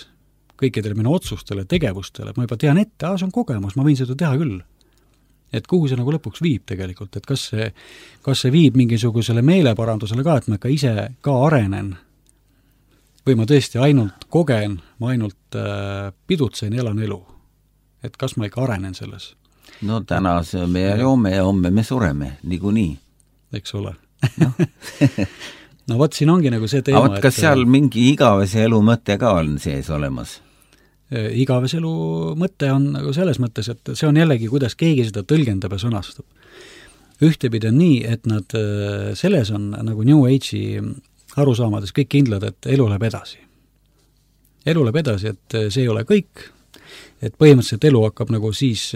kõikidele minu otsustele, tegevustele, ma juba tean ette, see on kogemus, ma võin seda teha küll. Et kuhu see nagu lõpuks viib tegelikult, et kas see viib mingisugusele meeleparandusele ka, et ma ka ise ka arenen või ma tõesti ainult kogen, ma ainult pidutsen ja elan elu. Et kas ma ikka arenen selles?
No täna sööme ja joome ja homme me sureme, niikuinii.
Eks ole. No võt, siin ongi nagu see teema.
Aga kas seal mingi igavese elu mõte ka on sees olemas?
Igavese elu mõte on nagu selles mõttes, et see on jällegi, kuidas keegi seda tõlgendab ja sõnastab. Ühtepidi on nii, et nad selles on nagu New Age'i arusaamades kõik kindlad, et elu läheb edasi. Elu läheb edasi, et see ei ole kõik, et põhimõtteliselt elu hakkab nagu siis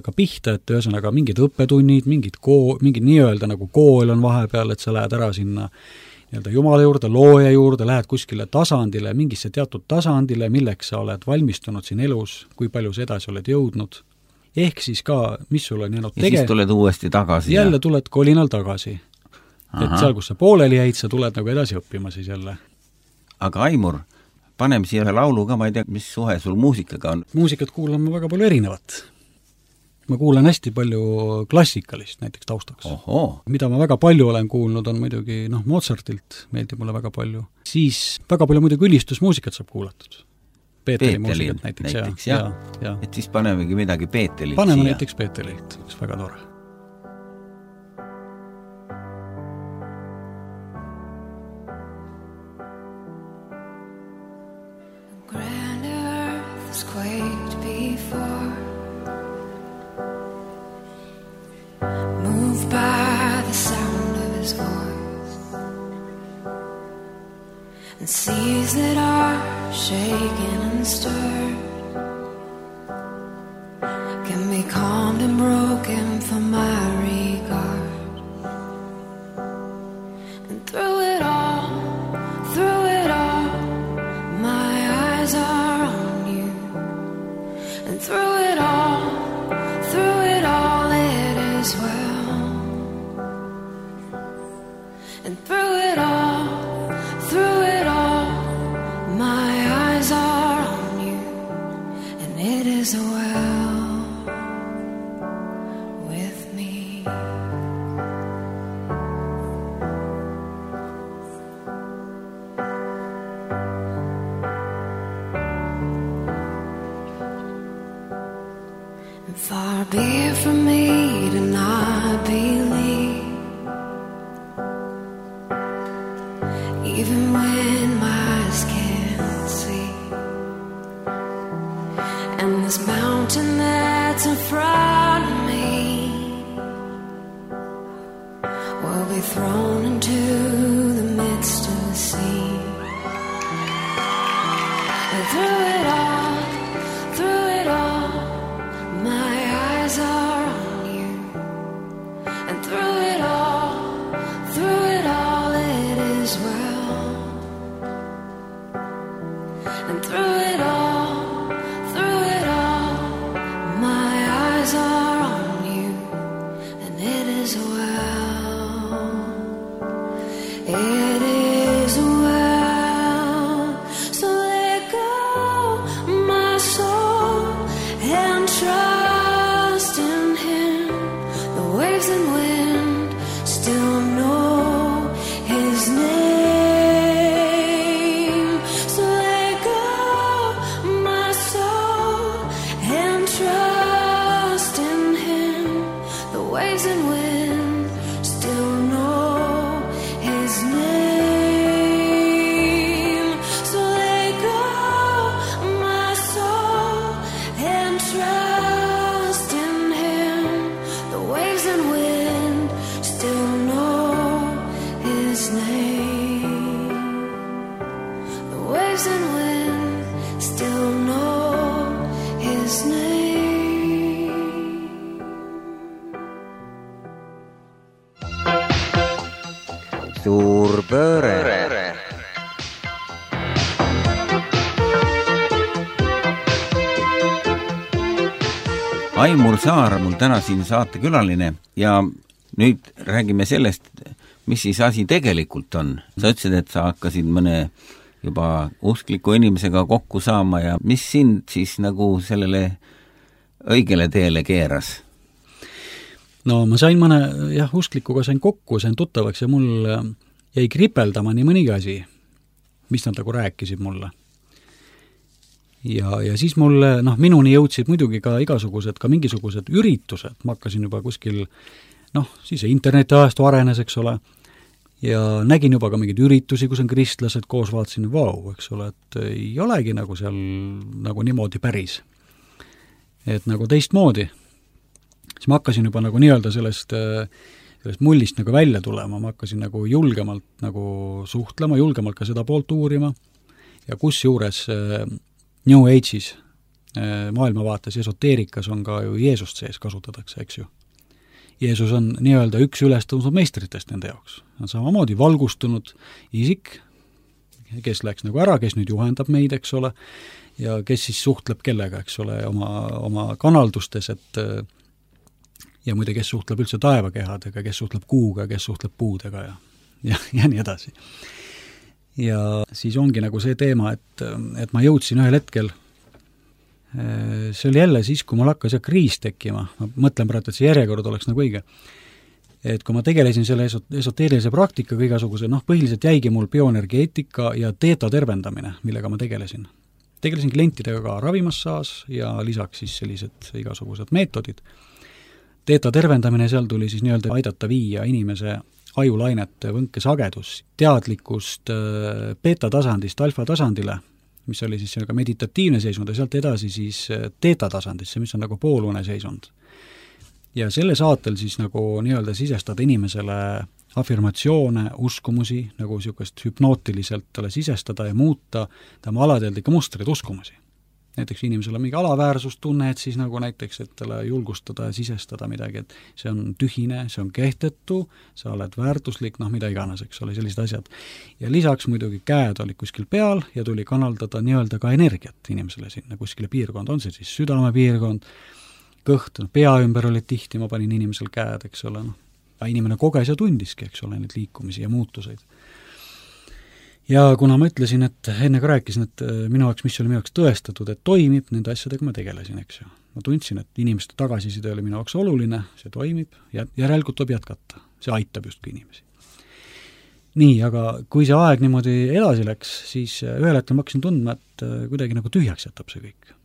ka pihta, et ühesõnaga mingid õppetunnid, mingid nii-öelda nagu kool on vahepeal, et sa lähed ära sinna nii-öelda Jumala juurde, looja juurde, lähed kuskile tasandile, mingisse teatud tasandile, milleks sa oled valmistunud siin elus, kui palju sa edasi oled jõudnud. Ehk siis ka, mis sul on jäänud
ja siis tuled uuesti tagasi.
Jälle tuled kolinal tagasi. Aha. Et seal, kus sa pooleli jäid, sa tuled nagu edasi õppima siis jälle.
Aga Aimur, paneme siia ühe laulu ka, ma ei tea, mis suhe sul muusikaga on?
Muusikat kuulan ma väga palju erinevat. Ma kuulan hästi palju klassikalist näiteks taustaks.
Oho.
Mida ma väga palju olen kuulnud, on muidugi Mozartilt, meeldib mulle väga palju. Siis väga palju muidugi ülistusmuusikat saab kuulatud. Peeteli muusikat näiteks ja.
Et siis panemegi midagi Peetelilt
paneme
siia.
Näiteks Peetelilt, üks väga tore.
and seas that are shaken and stirred can be calmed and broken for my regard. And through it all, my eyes are on you. And through it all, it is well. And through it all, my eyes are on you, and it is well with me. And far be it from me to not believe, even when my eyes can't see. And this mountain that's in front of me will be thrown into the midst of the sea. And through it all, my eyes are on you. And through it all, it is well. And through it all, my eyes are on you, and it is well. It is well. So let go, my soul, and trust in Him. The waves and wind still know His name. So let go, my soul, and trust in Him. The waves and wind still know His name. So let go, my soul, and trust in Him. The waves and wind still know His name. The waves and wind still know His name.
Suur pööre. Aimur Saar mul täna siin saatekülaline ja nüüd räägime sellest, mis siis asi tegelikult on. Sa ütlesid, et sa hakkasid mõne juba uskliku inimesega kokku saama ja mis sind siis nagu sellele õigele teele keeras?
No ma sain mõne, usklikuga sain kokku, sain tuttavaks ja mul jäi kripeldama nii mõnigi asi, mis nad nagu rääkisid mulle. Ja siis mulle, minuni jõudsid muidugi ka mingisugused üritused, ma hakkasin juba kuskil, siis internetiajastu arenes, eks ole, ja nägin juba ka mingeid üritusi, kus on kristlased koos, vaatasin, eks ole, et ei olegi nagu seal nagu niimoodi päris. Et nagu teistmoodi. Siis ma hakkasin juba nagu nii-öelda sellest mullist nagu välja tulema, ma hakkasin nagu julgemalt nagu suhtlema, julgemalt ka seda poolt uurima ja kus juures New Age'is maailmavaates esoteerikas on ka ju Jeesust sees kasutatakse, eks ju. Jeesus on nii-öelda üks ülestõusnud meistritest nende jaoks. On samamoodi valgustunud isik, kes läks nagu ära, kes nüüd juhendab meid, eks ole, ja kes siis suhtleb kellega, eks ole, oma kanaldustes, et ja muide, kes suhtleb üldse taevakehadega, kes suhtleb kuuga, kes suhtleb puudega ja nii edasi. Ja siis ongi nagu see teema, et ma jõudsin ühel hetkel, see oli jälle siis, kui mul hakkas kriis tekkima, ma mõtlen praegu, et see järjekord oleks nagu õige, et kui ma tegelesin selle esoteerilise praktikaga igasuguse, põhiliselt jäigi mul bioenergeetika ja teeta tervendamine, millega ma tegelesin. Tegelesin klientidega ka ravimassaas ja lisaks siis sellised igasugused meetodid. Teeta tervendamine, seal tuli siis nii-öelda aidata viia inimese ajulainete võnkesagedus teadlikust beta-tasandist alfa-tasandile, mis oli siis sellega meditatiivne seisund ja sealt edasi siis teeta-tasandisse, mis on nagu poolune seisund. Ja selle saatel siis nagu nii-öelda sisestada inimesele afirmatsioone, uskumusi, nagu niisugust hüpnootiliselt talle sisestada ja muuta tema alateadlikke mustreid uskumusi. Näiteks inimesel on mingi alaväärsustunne, et siis nagu näiteks, et talle julgustada ja sisestada midagi, et see on tühine, see on kehtetu, sa oled väärtuslik, noh mida iganes, eks ole, sellised asjad. Ja lisaks muidugi käed olid kuskil peal ja tuli kanaldada nii-öelda ka energiat inimesele sinna kuskile piirkonda, on see siis südamepiirkond, kõht, pea ümber olid tihti, ma panin inimesel käed, eks ole, noh. Inimene koges ja tundiski, eks ole, neid liikumisi ja muutuseid. Ja kuna ma ütlesin, et enne ka rääkisin, et minu jaoks, mis oli minu jaoks tõestatud, et toimib, nende asjadega ma tegelesin, eks ju. Ma tundsin, et inimeste tagasiside oli minu jaoks oluline, see toimib, järelikult tuleb jätkata. See aitab justkui inimesi. Nii, aga kui see aeg niimoodi edasi läks, siis ühel hetkel ma hakkasin tundma, et kuidagi nagu tühjaks jätab see kõik.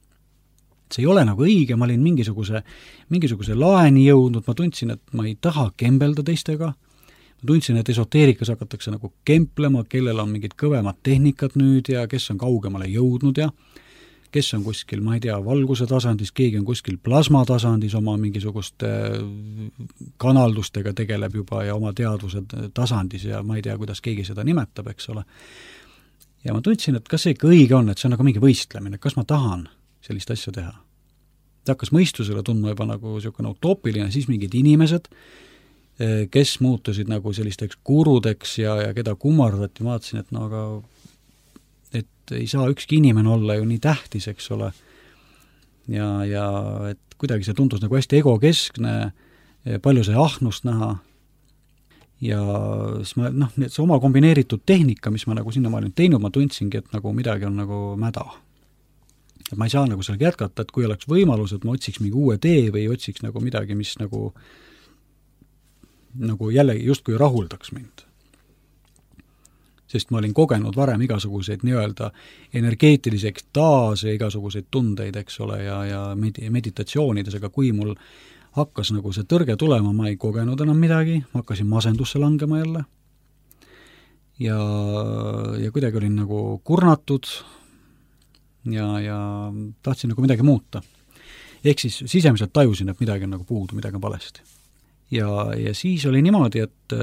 See ei ole nagu õige, ma olin mingisuguse laeni jõudnud, ma tundsin, et ma ei taha kembelda teistega, ma tundsin, et esoteerikas hakatakse nagu kemplema, kellel on mingid kõvemad tehnikad nüüd ja kes on kaugemale jõudnud ja kes on kuskil, ma ei tea, valguse tasandis, keegi on kuskil plasma tasandis oma mingisuguste kanaldustega tegeleb juba ja oma teadvuse tasandis ja ma ei tea, kuidas keegi seda nimetab, eks ole. Ja ma tundsin, et kas see ikka õige on, et see on nagu mingi võistlemine, kas ma tahan sellist asja teha. Ta hakkas mõistusele tundma juba nagu niisugune utoopiline, siis mingid inimesed, kes muutusid nagu sellisteks gurudeks ja keda kummardati, ma vaatasin, et no aga et ei saa ükski inimene olla ju nii tähtis, eks ole. Ja et kuidagi see tundus nagu hästi egokeskne, palju sai ahnust näha ja siis ma, see oma kombineeritud tehnika, mis ma nagu sinna ma olin teinud, ma tundsingi, et nagu midagi on nagu mäda. Et ma ei saa nagu sellega jätkata, et kui oleks võimalus, et ma otsiks mingi uue tee või otsiks nagu midagi, mis nagu jällegi justkui rahuldaks mind. Sest ma olin kogenud varem igasuguseid nii-öelda energeetilisi ekstaase, igasuguseid tundeid, eks ole, ja meditatsioonides, aga kui mul hakkas nagu see tõrge tulema, ma ei kogenud enam midagi, ma hakkasin masendusse langema jälle ja kuidagi olin nagu kurnatud ja tahtsin nagu midagi muuta. Ehk siis sisemiselt tajusin, et midagi on nagu puudu, midagi on valesti. Ja siis oli niimoodi, et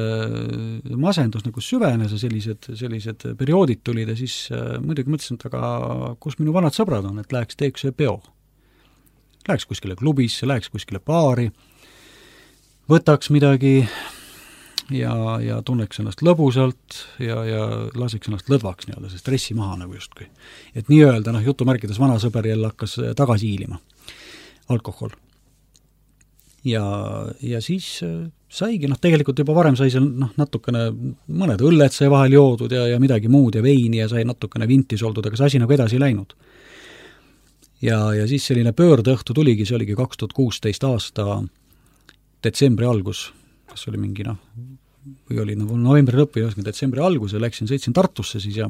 masendus nagu süvenes ja sellised perioodid tulid ja siis muidugi mõtlesin, et aga kus minu vanad sõbrad on, et läheks teeks see peo. Läheks kuskile klubisse, läheks kuskile baari, võtaks midagi ja tunneks ennast lõbusalt ja laseks ennast lõdvaks nii-öelda, see stressi maha nagu justkui. Et nii-öelda, jutumärkides vana sõber jälle hakkas tagasi hiilima. Alkohol. Ja siis saigi, tegelikult juba varem sai seal natukene, mõned õlled sai vahel joodud ja midagi muud ja veini ja sai natukene vintis oldud, aga see asi nagu edasi läinud. Ja siis selline pöördeõhtu tuligi, see oligi 2016 aasta detsembri algus, kas oli mingi või oli novembri lõpp või detsembri algus ja sõitsin Tartusse siis ja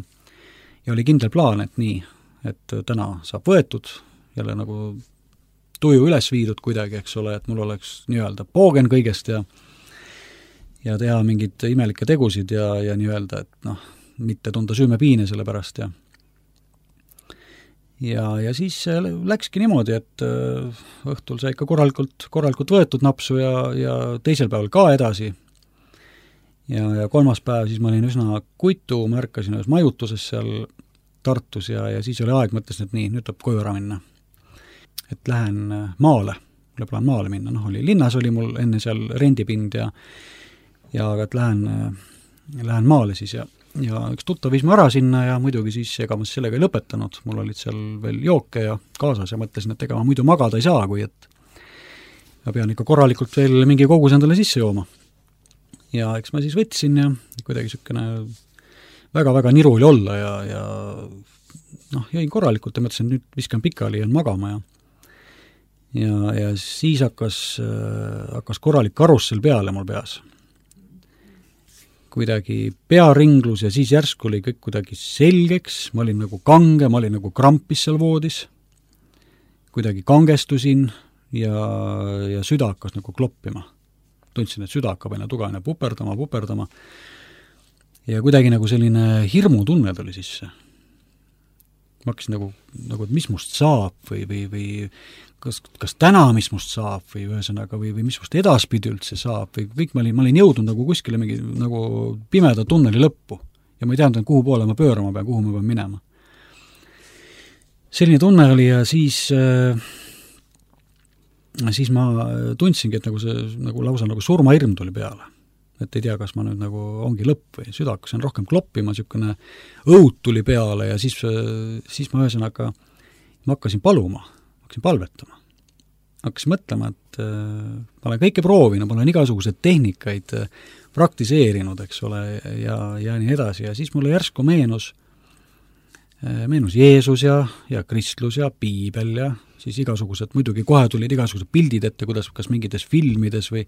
oli kindel plaan, et nii, et täna saab võetud, jälle nagu tuju üles viidud kuidagi, eks ole, et mul oleks nii-öelda poogen kõigest ja teha mingid imelikke tegusid ja nii-öelda, et mitte tunda süümepiine selle pärast ja siis läkski niimoodi, et õhtul sai ikka korralikult võetud napsu ja teisel päeval ka edasi ja kolmas päev siis ma olin üsna kuitu, ma ärkasin ühes majutuses seal Tartus ja siis oli aeg, mõtlesin, et nii, nüüd tuleb koju ära minna. Et lähen maale, mulle plaan maale minna, linnas oli mul enne seal rendipind ja et lähen maale siis ja üks tuttav viis ma ära sinna ja muidugi siis ega ma sellega ei lõpetanud, mul olid seal veel jooke ja kaasas ja mõtlesin, et ega ma muidu magada ei saa, kui et ma pean ikka korralikult veel mingi kogus endale sisse jooma. Ja eks ma siis võtsin ja kuidagi niisugune väga-väga niru oli olla ja jäin korralikult ja mõtlesin, nüüd viskan pikali ja magama ja siis hakkas korralik karussel peale mul peas. Kuidagi pearinglus ja siis järsku oli kõik kuidagi selgeks, ma olin nagu kange, ma olin nagu krampis seal voodis, kuidagi kangestusin ja süda hakkas nagu kloppima. Tundsin, et süda hakkab aina tugevane puperdama ja kuidagi nagu selline hirmutunne tuli sisse. ma hakkasin nagu, et mis must saab või kas täna, mis must saab või ühesõnaga või mis must edaspidi üldse saab või kõik ma olin jõudnud nagu kuskile mingi nagu pimeda tunneli lõppu ja ma ei teadnud, kuhu poole ma pöörama pean, kuhu ma pean minema. Selline tunne oli ja siis ma tundsingi, et nagu see nagu lausa nagu surmahirm tuli peale. Et ei tea, kas ma nüüd nagu ongi lõpp või süda hakkasin rohkem kloppima, niisugune õud tuli peale ja siis ma ühesõnaga ma hakkasin paluma, hakkasin palvetama. Hakkasin mõtlema, et ma olen kõike proovinud, ma olen igasuguseid tehnikaid praktiseerinud, eks ole, ja nii edasi ja siis mulle järsku meenus Jeesus ja kristlus ja piibel ja siis igasugused, muidugi kohe tulid igasugused pildid ette, kuidas kas mingites filmides või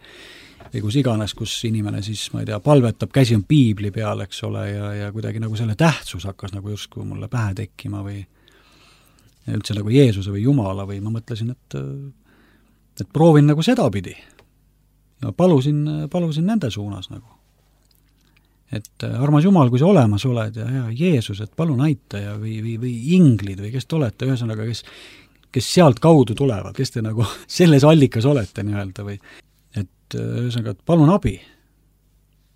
kus iganes, kus inimene siis, ma ei tea, palvetab, käsi on piibli peal, eks ole, ja kuidagi nagu selle tähtsus hakkas nagu justkui mulle pähe tekkima või üldse nagu Jeesuse või Jumala või ma mõtlesin, et proovin nagu sedapidi. Ja palusin nende suunas nagu. Et armas Jumal, kui sa olemas oled ja Jeesus, et palun aita ja või inglid või kes te olete, ühesõnaga, kes sealt kaudu tulevad, kes te nagu selles allikas olete nii-öelda või et ühesõnaga, et palun abi.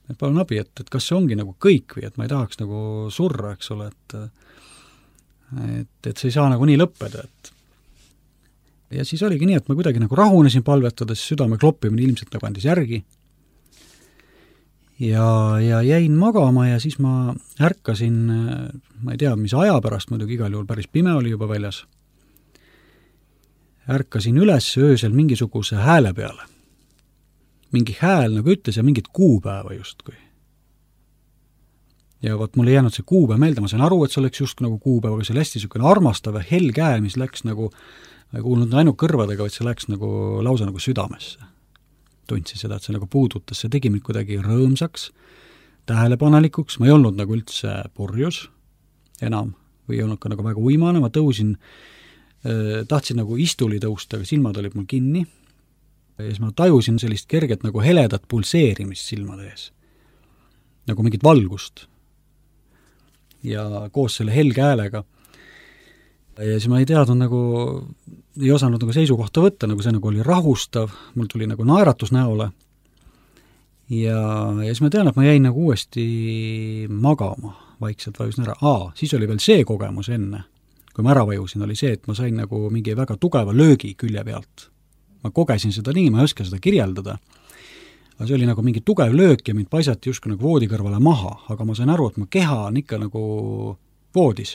Et palun abi, et kas see ongi nagu kõik või et ma ei tahaks nagu surra, eks ole, et see ei saa nagu nii lõppeda, et ja siis oligi nii, et ma kuidagi nagu rahunesin palvetades, südame kloppimine ilmselt nagu andis järgi ja jäin magama ja siis ma ärkasin, ma ei tea, mis aja pärast, muidugi igal juhul päris pime oli juba väljas, ärkasin üles öösel mingisuguse hääle peale. Mingi hääl nagu ütles ja mingit kuupäeva justkui. Ja võt mul ei jäänud see kuupäev meelde, ma sain aru, et see oleks just nagu kuupäev, aga see oli hästi niisugune armastav ja helge hääl, mis läks nagu, ma ei kuulnud ainult kõrvadega, vaid see läks nagu lausa nagu südamesse. Tundsin seda, et see nagu puudutas, see tegi mind kuidagi rõõmsaks, tähelepanelikuks, ma ei olnud nagu üldse purjus enam või ei olnud ka nagu väga uimane, ma tõusin, tahtsin nagu istuli tõusta, aga silmad olid mul kinni ja siis ma tajusin sellist kerget nagu heledat pulseerimist silmade ees, nagu mingit valgust ja koos selle helge häälega ja siis ma ei teadnud nagu, ei osanud nagu seisukohta võtta, nagu see nagu oli rahustav, mul tuli nagu naeratus näole ja siis ma tean, et ma jäin nagu uuesti magama, vaikselt vajusin ära. Siis oli veel see kogemus enne, kui ma ära vajusin, oli see, et ma sain nagu mingi väga tugeva löögi külje pealt. Ma kogesin seda nii, ma ei oska seda kirjeldada, aga see oli nagu mingi tugev löök ja mind paisati justkui nagu voodi kõrvale maha, aga ma sain aru, et mu keha on ikka nagu voodis.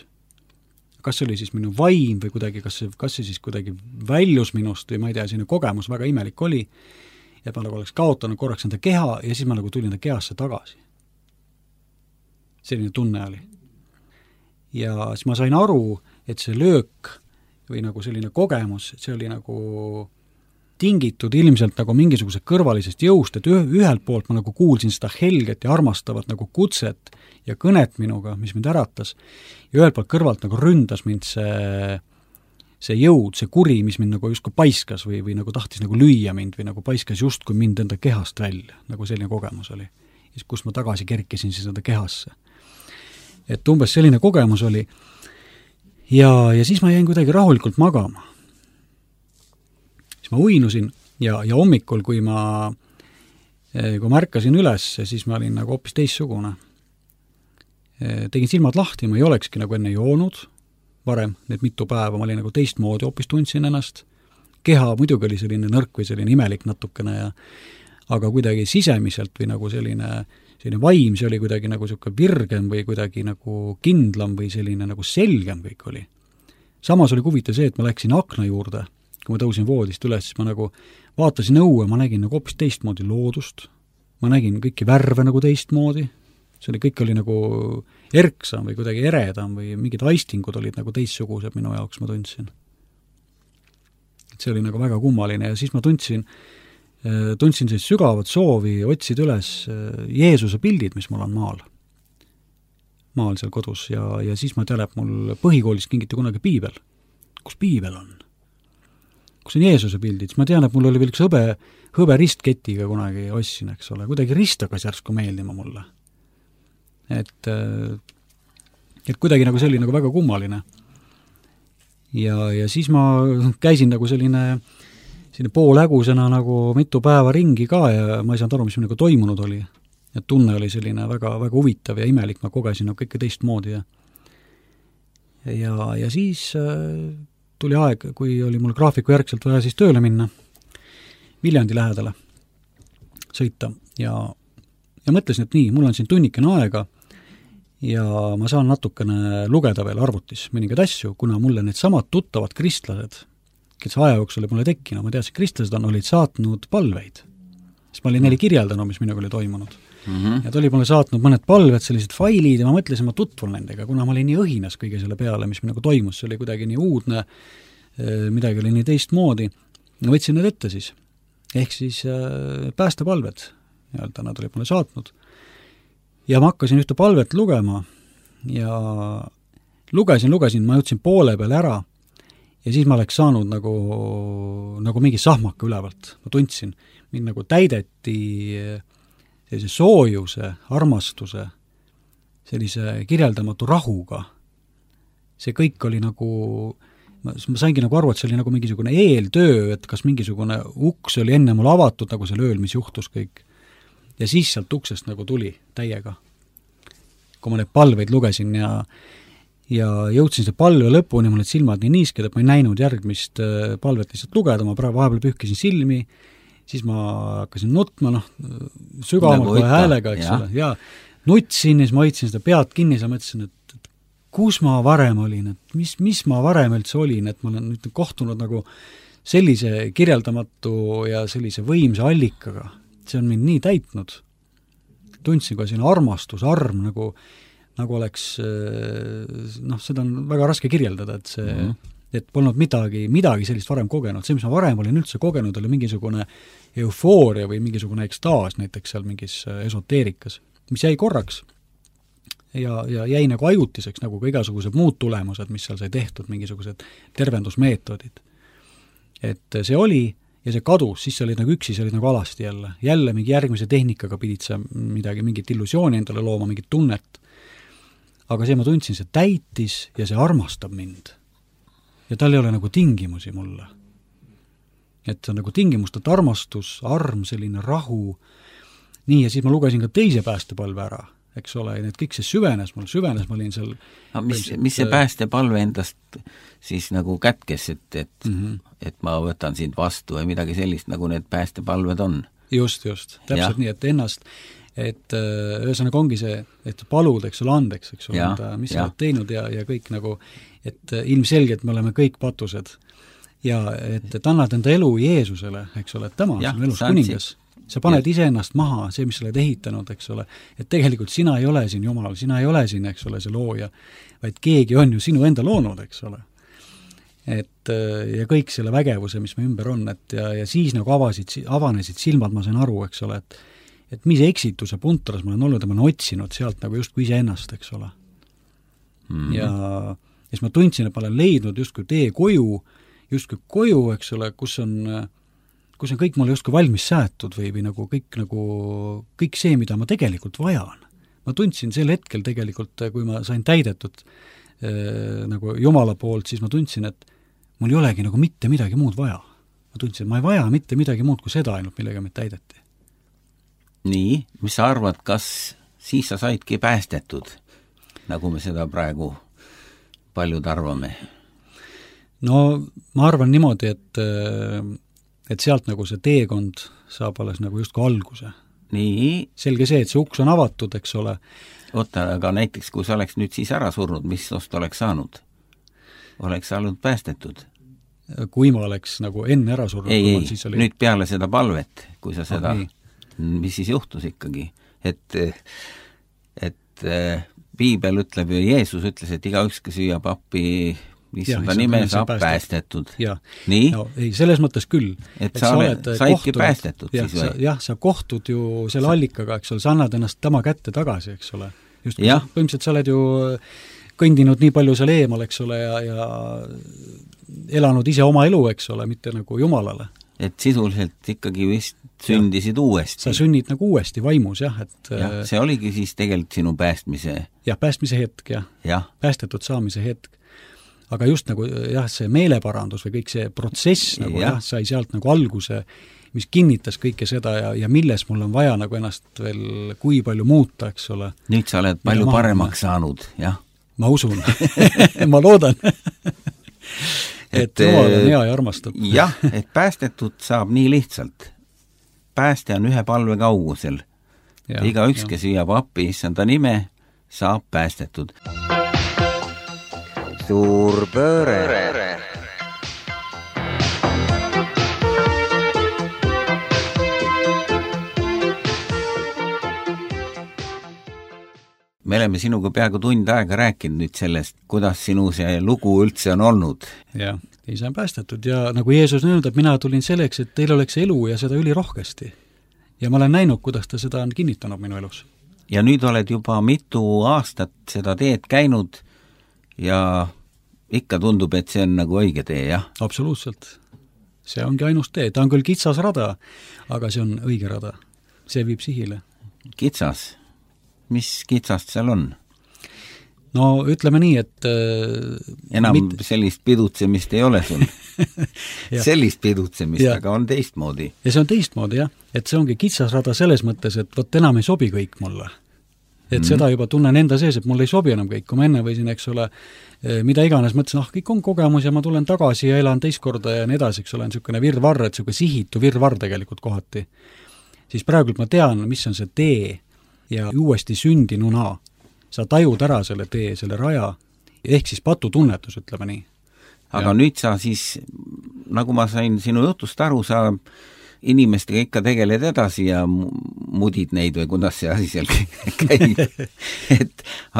Kas see oli siis minu vaim või kuidagi, kas see siis kuidagi väljus minust või ma ei tea, selline kogemus väga imelik oli, et ma nagu oleks kaotanud korraks enda keha ja siis ma nagu tulin enda kehasse tagasi. Selline tunne oli. Ja siis ma sain aru, et see löök või nagu selline kogemus, see oli nagu tingitud ilmselt nagu mingisuguse kõrvalisest jõust, et ühelt poolt ma nagu kuulsin seda helget ja armastavat nagu kutset ja kõnet minuga, mis mind äratas, ja ühelt poolt kõrvalt nagu ründas mind see jõud, see kuri, mis mind nagu justkui paiskas või nagu tahtis nagu lüüa mind või nagu paiskas justkui mind enda kehast välja, nagu selline kogemus oli. Ja kus ma tagasi kerkisin siis enda kehasse. Et umbes selline kogemus oli ja siis ma jäin kuidagi rahulikult magama. Siis ma uinusin ja hommikul, kui ma ärkasin üles, siis ma olin nagu hoopis teissugune. Tegin silmad lahti, ma ei olekski nagu enne joonud varem, need mitu päeva, ma olin nagu teistmoodi, hoopis tundsin ennast. Keha muidugi oli selline nõrk või selline imelik natukene, aga kuidagi sisemiselt või nagu selline vaim, see oli kuidagi nagu selline virgem või kuidagi nagu kindlam või selline nagu selgem kõik oli. Samas oli huvitav see, et ma läksin akna juurde, kui ma tõusin voodist üles, siis ma nagu vaatasin õue, ma nägin nagu hoopis teistmoodi loodust, ma nägin kõiki värve nagu teistmoodi, see kõik oli nagu erksam või kuidagi eredam või mingid aistingud olid nagu teistsugused minu jaoks, ma tundsin. Et see oli nagu väga kummaline ja siis ma tundsin sellist sügavat soovi otsida üles Jeesuse pildid, mis mul on maal seal kodus ja siis ma tean, et mul põhikoolis kingiti kunagi piibel. Kus piibel on? Kus on Jeesuse pildid? Siis ma tean, et mul oli veel üks hõbe ristketiga kunagi ostsin, eks ole, kuidagi rist hakkas järsku meeldima mulle. Et kuidagi nagu see oli nagu väga kummaline. ja siis ma käisin nagu selline poolägusena nagu mitu päeva ringi ka ja ma ei saanud aru, mis nagu toimunud oli. Et tunne oli selline väga, väga huvitav ja imelik, ma kogesin nagu kõike teistmoodi ja siis tuli aeg, kui oli mul graafiku järgselt vaja siis tööle minna, Viljandi lähedale sõita ja mõtlesin, et nii, mul on siin tunnikene aega ja ma saan natukene lugeda veel arvutis mõningaid asju, kuna mulle need samad tuttavad kristlased, kes aja jooksul mulle tekkinud, ma teadsin, kristlased olid saatnud palveid. Siis ma olin neile kirjeldanud, mis minuga oli toimunud. Ja ta oli mulle saatnud mõned palved, sellised failid ja ma mõtlesin, ma tutvun nendega, kuna ma olin nii õhinas kõige selle peale, mis minuga toimus, see oli kuidagi nii uudne, midagi oli nii teistmoodi. Ma võtsin need ette siis. Ehk siis päästepalved, nad olid mulle saatnud. Ja ma hakkasin ühte palvet lugema ja lugesin, ma jõudsin poole peale ära ja siis ma oleks saanud nagu mingi sahmaka ülevalt. Ma tundsin, mind nagu täideti sellise soojuse, armastuse, sellise kirjeldamatu rahuga. See kõik oli nagu, ma saingi nagu aru, et see oli nagu mingisugune eeltöö, et kas mingisugune uks oli enne mul avatud, nagu seal ööl, mis juhtus kõik. Ja siis sealt uksest nagu tuli täiega. Kui ma neid palveid lugesin ja jõudsin see palve lõpuni, mul need silmad nii niisked, et ma ei näinud järgmist palvet lihtsalt lugeda, ma vahepeal pühkisin silmi, siis ma hakkasin nutma, sügavamalt kohe häälega, eks ole, ja nutsin ja siis ma hoidsin seda pead kinni ja mõtlesin, et kus ma varem olin, et mis ma varem üldse olin, et ma olen nüüd kohtunud nagu sellise kirjeldamatu ja sellise võimsa allikaga. See on mind nii täitnud. Tundsin ka siin armastus, arm, nagu oleks, seda on väga raske kirjeldada, et see, et polnud midagi sellist varem kogenud. See, mis ma varem olin üldse kogenud, oli mingisugune eufooria või mingisugune ekstaas näiteks seal mingis esoteerikas, mis jäi korraks ja jäi nagu ajutiseks, nagu ka igasugused muud tulemused, mis seal sai tehtud, mingisugused tervendusmeetodid. Et see oli ja see kadus, siis sa olid nagu üksi, see olid nagu alasti jälle mingi järgmise tehnikaga pidid sa mingit illusiooni endale looma, mingit tunnet. Aga see ma tundsin, see täitis ja see armastab mind. Ja tal ei ole nagu tingimusi mulle. Et see on nagu tingimustelt armastus, arm, selline rahu. Nii, ja siis ma lugesin ka teise päästepalve ära, eks ole, ja need kõik see süvenes, ma olin seal...
Mis see päästepalve endast siis nagu kätkes, et ma võtan sind vastu või midagi sellist, nagu need päästepalved on?
Just, täpselt nii, et ennast, et ühesõnaga ongi see, et palud, eks ole, andeks, eks ole, mis sa oled teinud ja kõik nagu, et ilmselgelt me oleme kõik patused ja et annad enda elu Jeesusele, eks ole, et tema on elus kuningas. Sa paned ise ennast maha, see, mis sa oled ehitanud, eks ole, et tegelikult sina ei ole siin Jumal, sina ei ole siin, eks ole, see looja, vaid keegi on ju sinu enda loonud, eks ole. Et ja kõik selle vägevuse, mis me ümber on, et ja siis nagu avanesid silmad, ma sain aru, eks ole, et mis eksituse puntras ma olen olnud ja ma olen otsinud sealt nagu justkui ise ennast, eks ole. Ja siis ma tundsin, et ma olen leidnud justkui tee koju, eks ole, kus on kõik mulle justkui valmis säätud või nagu kõik see, mida ma tegelikult vajan. Ma tundsin sel hetkel tegelikult, kui ma sain täidetud nagu Jumala poolt, siis ma tundsin, et mul ei olegi nagu mitte midagi muud vaja. Ma tundsin, et ma ei vaja mitte midagi muud kui seda ainult, millega meid täideti.
Nii, mis sa arvad, kas siis sa saidki päästetud, nagu me seda praegu paljud arvame?
No ma arvan niimoodi, et sealt nagu see teekond saab alles nagu justkui alguse. Nii. Selge see, et see uks on avatud, eks ole.
Oota, aga näiteks, kui sa oleks nüüd siis ära surnud, mis ost oleks saanud? Oleks olnud päästetud?
Kui ma oleks nagu enne ära surnud?
Ei, nüüd peale seda palvet, kui sa seda, mis siis juhtus ikkagi? Et Piibel ütleb ja Jeesus ütles, et igaüks, kes süüab appi issanda nime saab päästetud. Nii?
No, ei, selles mõttes küll.
Et sa saidki päästetud siis või?
Jah, sa kohtud ju selle allikaga, eks ole, sa annad ennast tema kätte tagasi, eks ole. Just põhimõtteliselt sa oled ju kõndinud nii palju seal eemal, eks ole, ja elanud ise oma elu, eks ole, mitte nagu Jumalale.
Et sisuliselt ikkagi vist sündisid uuesti.
Sa sünnid nagu uuesti vaimus, jah. Et,
see oligi siis tegelikult sinu päästmise...
Jah, päästmise hetk, jah. Päästetud saamise hetk. aga just nagu jah, see meeleparandus või kõik see protsess nagu sai sealt nagu alguse, mis kinnitas kõike seda ja milles mul on vaja nagu ennast veel kui palju muuta, eks ole.
Nüüd sa oled palju paremaks saanud, jah?
Ma usun. Ma loodan. et Jumal on hea ja armastab.
jah, et päästetud saab nii lihtsalt. Pääste on ühe palve kaugusel. Iga üks, kes viiab appi issanda nime, saab päästetud. Suur pööre. Me oleme sinuga peaaegu tund aega rääkinud nüüd sellest, kuidas sinu see lugu üldse on olnud.
Jah, ise on päästetud ja nagu Jeesus nõud, et mina tulin selleks, et teil oleks elu ja seda ülirohkesti. Ja ma olen näinud, kuidas ta seda on kinnitanud minu elus.
Ja nüüd oled juba mitu aastat seda teed käinud ja ikka tundub, et see on nagu õige tee, jah?
Absoluutselt. See ongi ainus tee. Ta on küll kitsas rada, aga see on õige rada. See viib sihile.
Kitsas? Mis kitsast seal on?
No ütleme nii, et
enam sellist pidutsemist ei ole sul. Sellist pidutsemist, aga on teistmoodi.
Ja see on teistmoodi, jah. Et see ongi kitsas rada selles mõttes, et võt enam ei sobi kõik mulle. Et seda juba tunnen enda sees, et mul ei sobi enam kõik. Kui ma enne võisin, eks ole, mida iganes mõtlesin, kõik on kogemus ja ma tulen tagasi ja elan teist korda ja nii edasi, eks ole, on niisugune virvarr, et niisugune sihitu virvarr tegelikult kohati. Siis praegult ma tean, mis on see tee ja uuesti sündinuna. Sa tajud ära selle tee, selle raja, ehk siis patutunnetus, ütleme nii.
Aga nüüd sa siis, nagu ma sain sinu jutust aru, sa inimestega ikka tegeled edasi ja mudid neid või kuidas see asi seal käib.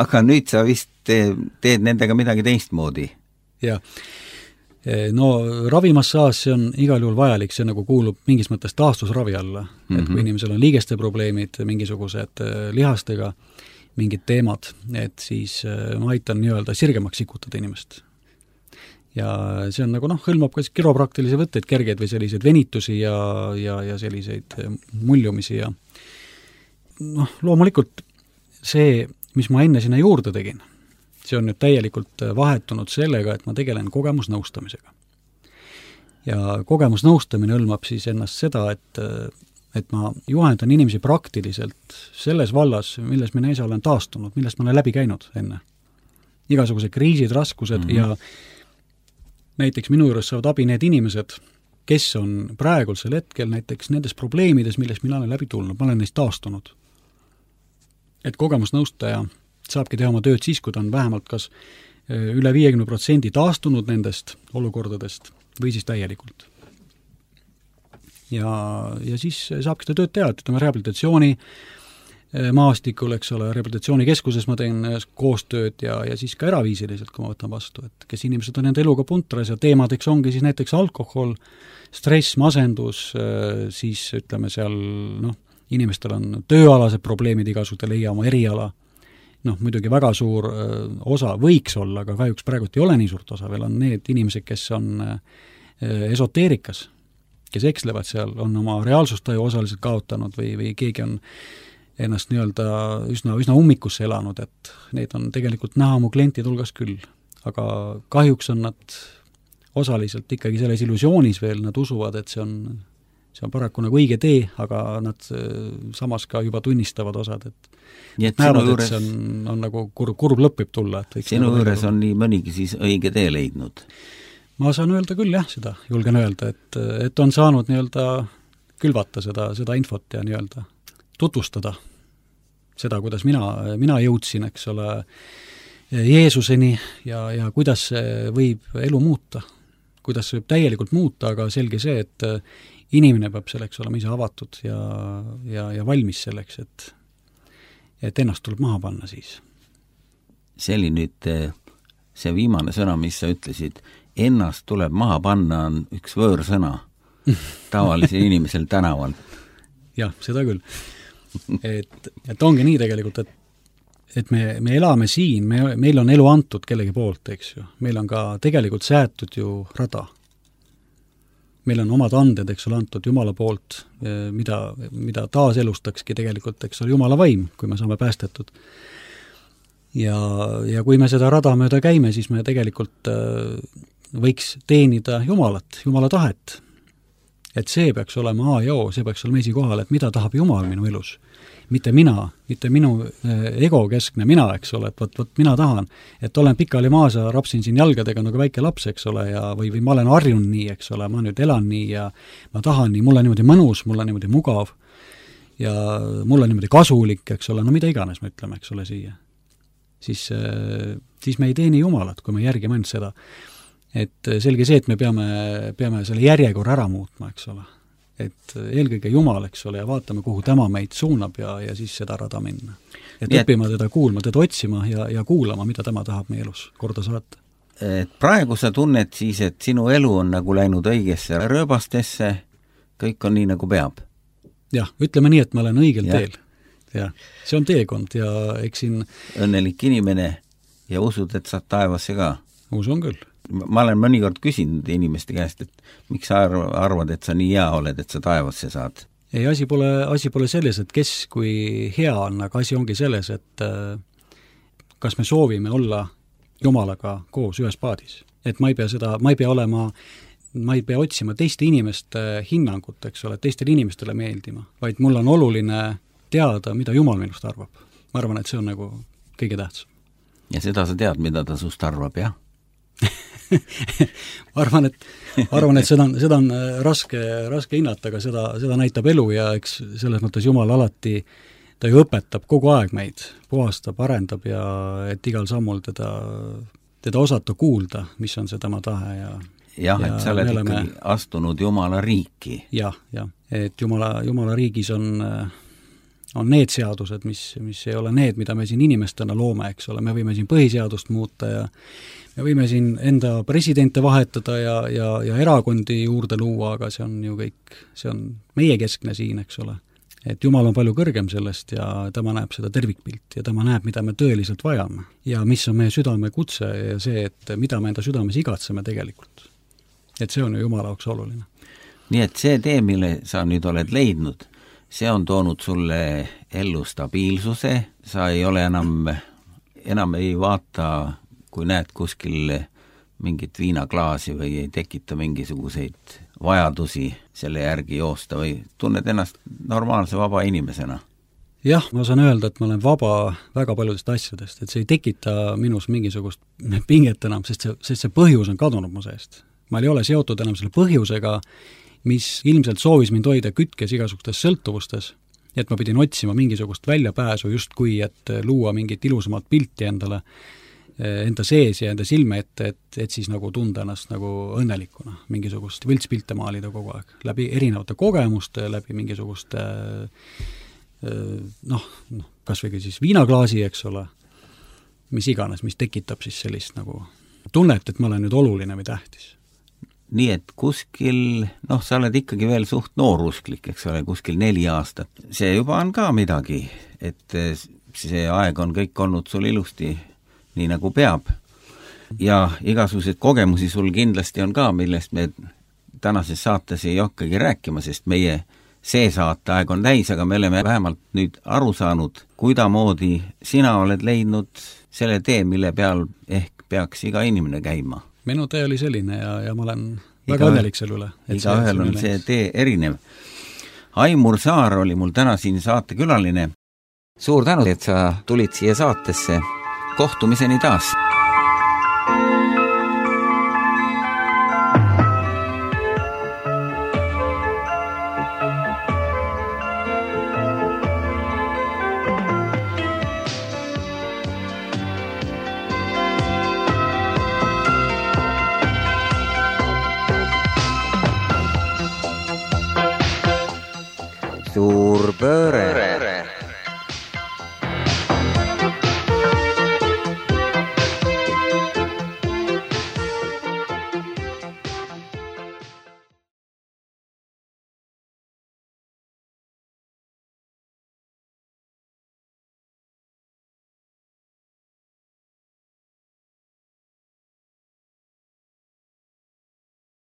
Aga nüüd sa vist teed nendega midagi teistmoodi.
Jah. No ravimassaas see on igal juhul vajalik, see nagu kuulub mingis mõttes taastusravi alla. Et kui inimesel on liigeste probleemid, mingisugused lihastega, mingid teemad, et siis ma aitan nii-öelda sirgemaks sikutada inimest. Ja see on nagu hõlmab ka kiropraktilisi võtteid, kergeid või selliseid venitusi ja selliseid muljumisi ja loomulikult see, mis ma enne sinna juurde tegin, see on nüüd täielikult vahetunud sellega, et ma tegelen kogemusnõustamisega. Ja kogemusnõustamine hõlmab siis ennast seda, et ma juhendan inimesi praktiliselt selles vallas, milles mina ise olen taastunud, millest ma olen läbi käinud enne. Igasugused kriisid, raskused ja näiteks minu juures saavad abi need inimesed, kes on praegusel hetkel näiteks nendes probleemides, milles mina olen läbi tulnud, ma olen neist taastunud. Et kogemusnõustaja saabki teha oma tööd siis, kui ta on vähemalt kas üle 50% taastunud nendest olukordadest või siis täielikult. Ja siis saabki seda tööd teha, et ütleme rehabilitatsiooni maastikul, eks ole, rehabilitatsioonikeskuses ma teen koostööd ja siis ka eraviisiliselt, kui ma võtan vastu, et kes inimesed on enda eluga puntras ja teemadeks ongi siis näiteks alkohol, stress, masendus, siis ütleme seal, inimestel on tööalased probleemid igasugused, leia oma eriala, muidugi väga suur osa võiks olla, aga kahjuks praegult ei ole nii suurt osa, veel on need inimesed, kes on esoteerikas, kes ekslevad seal, on oma reaalsustaju osaliselt kaotanud või keegi on ennast nii-öelda üsna ummikusse elanud, et neid on tegelikult näha mu klientide hulgas küll, aga kahjuks on nad osaliselt ikkagi selles illusioonis veel, nad usuvad, et see on paraku nagu õige tee, aga nad samas ka juba tunnistavad osad, et näevad, et see on nagu kurb lõpp võib tulla.
Sinu juures on nii mõnigi siis õige tee leidnud?
Ma saan öelda küll jah, seda julgen öelda, et on saanud nii-öelda külvata seda infot ja nii-öelda tutvustada seda, kuidas mina jõudsin, eks ole, Jeesuseni ja kuidas see võib elu muuta, kuidas see võib täielikult muuta, aga selge see, et inimene peab selleks olema ise avatud ja valmis selleks, et ennast tuleb maha panna siis.
See oli nüüd see viimane sõna, mis sa ütlesid, ennast tuleb maha panna on üks võõrsõna tavalisel inimesel tänaval.
Jah, seda küll. Et ongi nii tegelikult, et me elame siin, meil on elu antud kellegi poolt, eks ju. Meil on ka tegelikult säätud ju rada. Meil on omad anded, eks ole, antud Jumala poolt, mida taaselustakski tegelikult, eks ole, Jumala vaim, kui me saame päästetud. ja kui me seda rada mööda käime, siis me tegelikult võiks teenida Jumalat, Jumala tahet. Et see peaks olema A ja O, see peaks olema esikohal, et mida tahab Jumal minu elus. Mitte mina, mitte minu ego keskne mina, eks ole, et võt mina tahan, et olen pikali maas ja rapsin siin jalgadega nagu väike laps, eks ole, ja või ma olen harjunud nii, eks ole, ma nüüd elan nii ja ma tahan nii, mul on niimoodi mõnus, mul on niimoodi mugav ja mul on niimoodi kasulik, eks ole, no mida iganes me ütleme, eks ole, siia. Siis me ei teeni Jumalat, kui me järgime ainult seda. Et selge see, et me peame selle järjekorra ära muutma, eks ole. Et eelkõige Jumal, eks ole, ja vaatame, kuhu tema meid suunab ja siis seda rada minna. Et õppima teda kuulma, teda otsima ja kuulama, mida tema tahab meie elus korda saata.
Et praegu sa tunned siis, et sinu elu on nagu läinud õigesse rööbastesse, kõik on nii, nagu peab?
Jah, ütleme nii, et ma olen õigel teel. Ja, see on teekond ja eks siin...
Õnnelik inimene ja usud, et saad taevasse ka?
Usun küll.
Ma olen mõnikord küsinud inimeste käest, et miks sa arvad, et sa nii hea oled, et sa taevasse saad?
Ei, asi pole selles, et kes kui hea on, aga asi ongi selles, et kas me soovime olla Jumalaga koos ühes paadis. Et ma ei pea otsima teiste inimeste hinnangut, eks ole, teistele inimestele meeldima, vaid mul on oluline teada, mida Jumal minust arvab. Ma arvan, et see on nagu kõige tähtsam.
Ja seda sa tead, mida ta sust arvab, jah?
ma arvan, et seda on raske hinnata, aga seda näitab elu ja eks selles mõttes Jumal alati, ta ju õpetab kogu aeg meid, puhastab, arendab ja et igal sammul teda osata kuulda, mis on see tema tahe
ja et sa oled ikkagi astunud Jumala riiki.
Jah, et Jumala riigis on need seadused, mis ei ole need, mida me siin inimestena loome, eks ole, me võime siin põhiseadust muuta ja me võime siin enda presidente vahetada ja erakondi juurde luua, aga see on ju kõik, see on meie keskne siin, eks ole. Et Jumal on palju kõrgem sellest ja tema näeb seda tervikpilti ja tema näeb, mida me tõeliselt vajame. Ja mis on meie südame kutse ja see, et mida me enda südames igatseme tegelikult. Et see on ju Jumala jaoks oluline.
Nii et see tee, mille sa nüüd oled leidnud, see on toonud sulle ellu stabiilsuse, sa ei ole enam ei vaata, kui näed kuskil mingit viinaklaasi või ei tekita mingisuguseid vajadusi selle järgi joosta või tunned ennast normaalse vaba inimesena?
Jah, ma saan öelda, et ma olen vaba väga paljudest asjadest, et see ei tekita minus mingisugust pinget enam, sest see põhjus on kadunud mu seest. Ma ei ole seotud enam selle põhjusega, mis ilmselt soovis mind hoida kütkes igasugustes sõltuvustes, et ma pidin otsima mingisugust väljapääsu justkui, et luua mingit ilusamat pilti endale, enda sees ja enda silme ette, et siis nagu tunda ennast nagu õnnelikuna, mingisugust võltspilte maalida kogu aeg, läbi erinevate kogemuste, läbi mingisuguste kas või siis viinaklaasi, eks ole, mis iganes, mis tekitab siis sellist nagu tunnet, et ma olen nüüd oluline või tähtis.
Nii et kuskil, sa oled ikkagi veel suht noorusklik, eks ole, kuskil 4 aastat. See juba on ka midagi, et see aeg on kõik olnud sul ilusti nii nagu peab. Ja igasugused kogemusi sul kindlasti on ka, millest me tänases saates ei hakkagi rääkima, sest meie see saateaeg on täis, aga me oleme vähemalt nüüd aru saanud, kuidamoodi sina oled leidnud selle tee, mille peal ehk peaks iga inimene käima.
Minu tee oli selline ja ma olen väga õnnelik selle üle.
Iga ühel on see tee erinev. Aimur Saar oli mul täna siin saatekülaline. Suur tänu, et sa tulid siia saatesse. Kohtumiseni taas! Suur pööre!